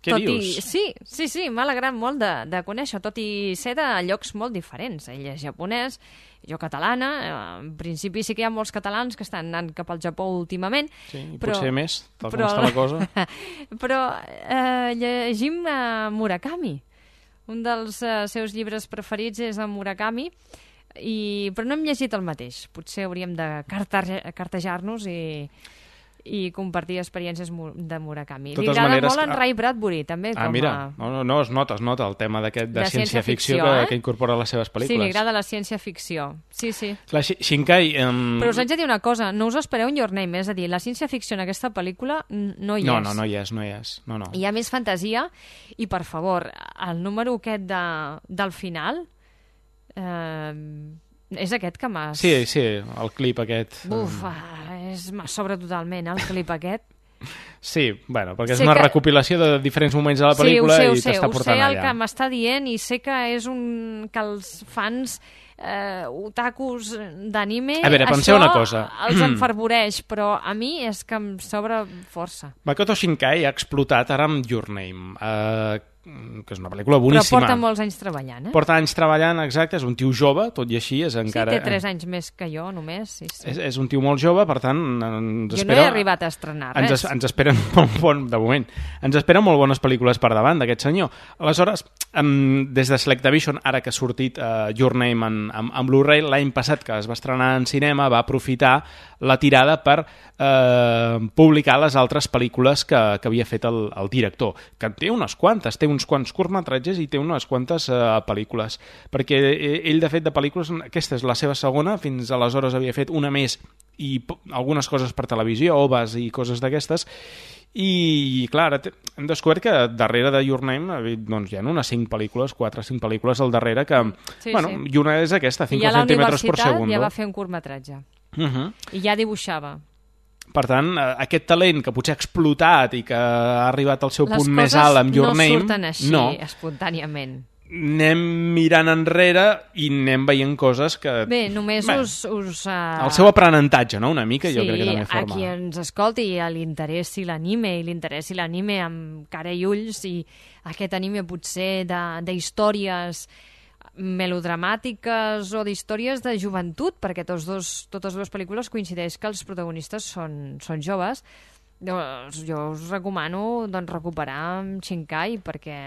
Què tot dius? I... Sí, sí, sí, m'ha alegrat molt de, de conèixer, tot i ser de llocs molt diferents. Ell és japonès, jo catalana. En principi sí que hi ha molts catalans que estan anant cap al Japó últimament. Sí, i però, potser més, tal però, com està la cosa. Però eh, llegim uh, Murakami. Un dels uh, seus llibres preferits és el Murakami, i, però no hem llegit el mateix. Potser hauríem de cartejar-nos i... i compartir experiències de Murakami. Li agrada molt en Ray Bradbury, també. Ah, com mira, a... no, no, es nota, es nota el tema d'aquest de, de ciència-ficció ciència que, eh? que incorpora a les seves pel·lícules. Sí, li agrada la ciència-ficció. Sí, sí. Clar, Shinkai... Um... Però us haig de dir una cosa, no us espereu en Your Name, és a dir, la ciència-ficció en aquesta pel·lícula no hi no, és. No, no hi és, no hi és. No, no. Hi ha més fantasia, i per favor, el número aquest de, del final... Eh, és aquest que m'has... Sí, sí, el clip aquest. Buf, és... m'ha sobra totalment, el clip aquest. Sí, bueno, perquè és sé una que... recopilació de diferents moments de la pel·lícula sí, i t'està portant allà. Ho sé el que m'està dient i sé que és un... que els fans eh, otakus d'anime això una cosa. els enfervoreix, però a mi és que em sobra força. Makoto Shinkai ha explotat ara amb Your Name, eh, que és una pel·lícula boníssima. Però porta molts anys treballant, eh? Porta anys treballant, exacte, és un tio jove, tot i així és encara... Sí, té tres anys més que jo, només. Sí, sí. És, és un tio molt jove, per tant, ens jo espera... no he arribat a estrenar res. Ens, ens esperen molt bon, de moment, ens esperen molt bones pel·lícules per davant d'aquest senyor. Aleshores, um, des de Selectavision, ara que ha sortit uh, Your Name en, en, en Blu-ray, l'any passat que es va estrenar en cinema, va aprofitar la tirada per uh, publicar les altres pel·lícules que, que havia fet el, el director, que té unes quantes, té uns quants curtmetratges i té unes quantes uh, pel·lícules, perquè ell, de fet, de pel·lícules, aquesta és la seva segona, fins aleshores havia fet una més i algunes coses per televisió, oves i coses d'aquestes, i clar, ara hem descobert que darrere de Your Name doncs, hi ha unes cinc pel·lícules, quatre o cinc pel·lícules al darrere que, sí, bueno, sí. I una és aquesta, cinc centímetres per segon. I a la universitat ja va fer un curtmetratge. Uh -huh. I ja dibuixava. Per tant, aquest talent que potser ha explotat i que ha arribat al seu les punt més alt amb Your no Name... Les coses no surten així, no. espontàniament. Anem mirant enrere i anem veient coses que... Bé, només Bé, us... us uh... El seu aprenentatge, no?, una mica, sí, jo crec que també forma. Sí, a qui ens escolti i li interessi l'anime, i li interessi l'anime amb cara i ulls, i aquest anime potser d'històries melodramàtiques o d'històries de joventut, perquè tots dos, totes dues pel·lícules coincideix que els protagonistes són, són joves. Doncs jo us recomano doncs, recuperar Shinkai, perquè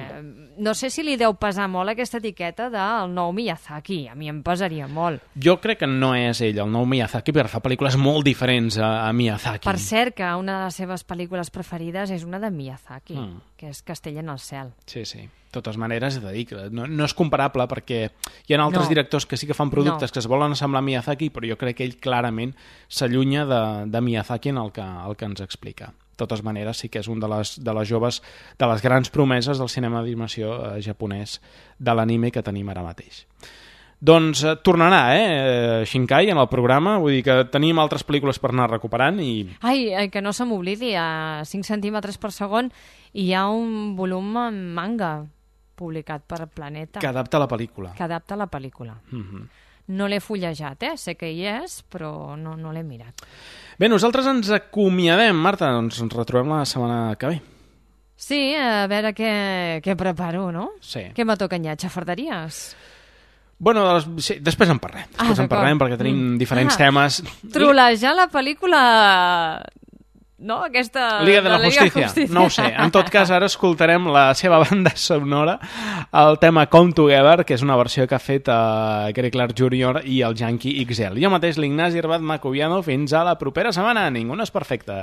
no sé si li deu pesar molt aquesta etiqueta del nou Miyazaki. A mi em pesaria molt. Jo crec que no és ell, el nou Miyazaki, perquè fa pel·lícules molt diferents a, a Miyazaki. Per cert, que una de les seves pel·lícules preferides és una de Miyazaki, mm. que és Castell en el cel. Sí, sí. De totes maneres, he de dir que no, no és comparable, perquè hi ha altres no. directors que sí que fan productes no. que es volen assemblar a Miyazaki, però jo crec que ell clarament s'allunya de, de Miyazaki en el que, el que ens explica. De totes maneres, sí que és un de les, de les joves, de les grans promeses del cinema d'animació eh, japonès de l'anime que tenim ara mateix. Doncs eh, tornarà, eh, Shinkai, en el programa, vull dir que tenim altres pel·lícules per anar recuperant i... Ai, que no se m'oblidi, a cinc centímetres per segon hi ha un volum en manga publicat per Planeta. Que adapta la pel·lícula. Que adapta la pel·lícula. Mm-hmm. No l'he fullejat, eh? Sé que hi és, però no, no l'he mirat. Bé, nosaltres ens acomiadem, Marta, doncs ens retrobem la setmana que ve. Sí, a veure què, què preparo, no? Sí. Què me toca enllà? Xafarderies? Bueno, sí, després en parlem. Després ah, en parlem perquè tenim mm. diferents ah, temes. Trolejar la pel·lícula no? Aquesta... Liga de la Justícia. No ho sé. En tot cas, ara escoltarem la seva banda sonora, el tema Come Together, que és una versió que ha fet uh, Gary Clark júnior i el Yankee X L. Jo mateix, l'Ignasi Herbat Macoviano. Fins a la propera setmana. Ningú no és perfecte.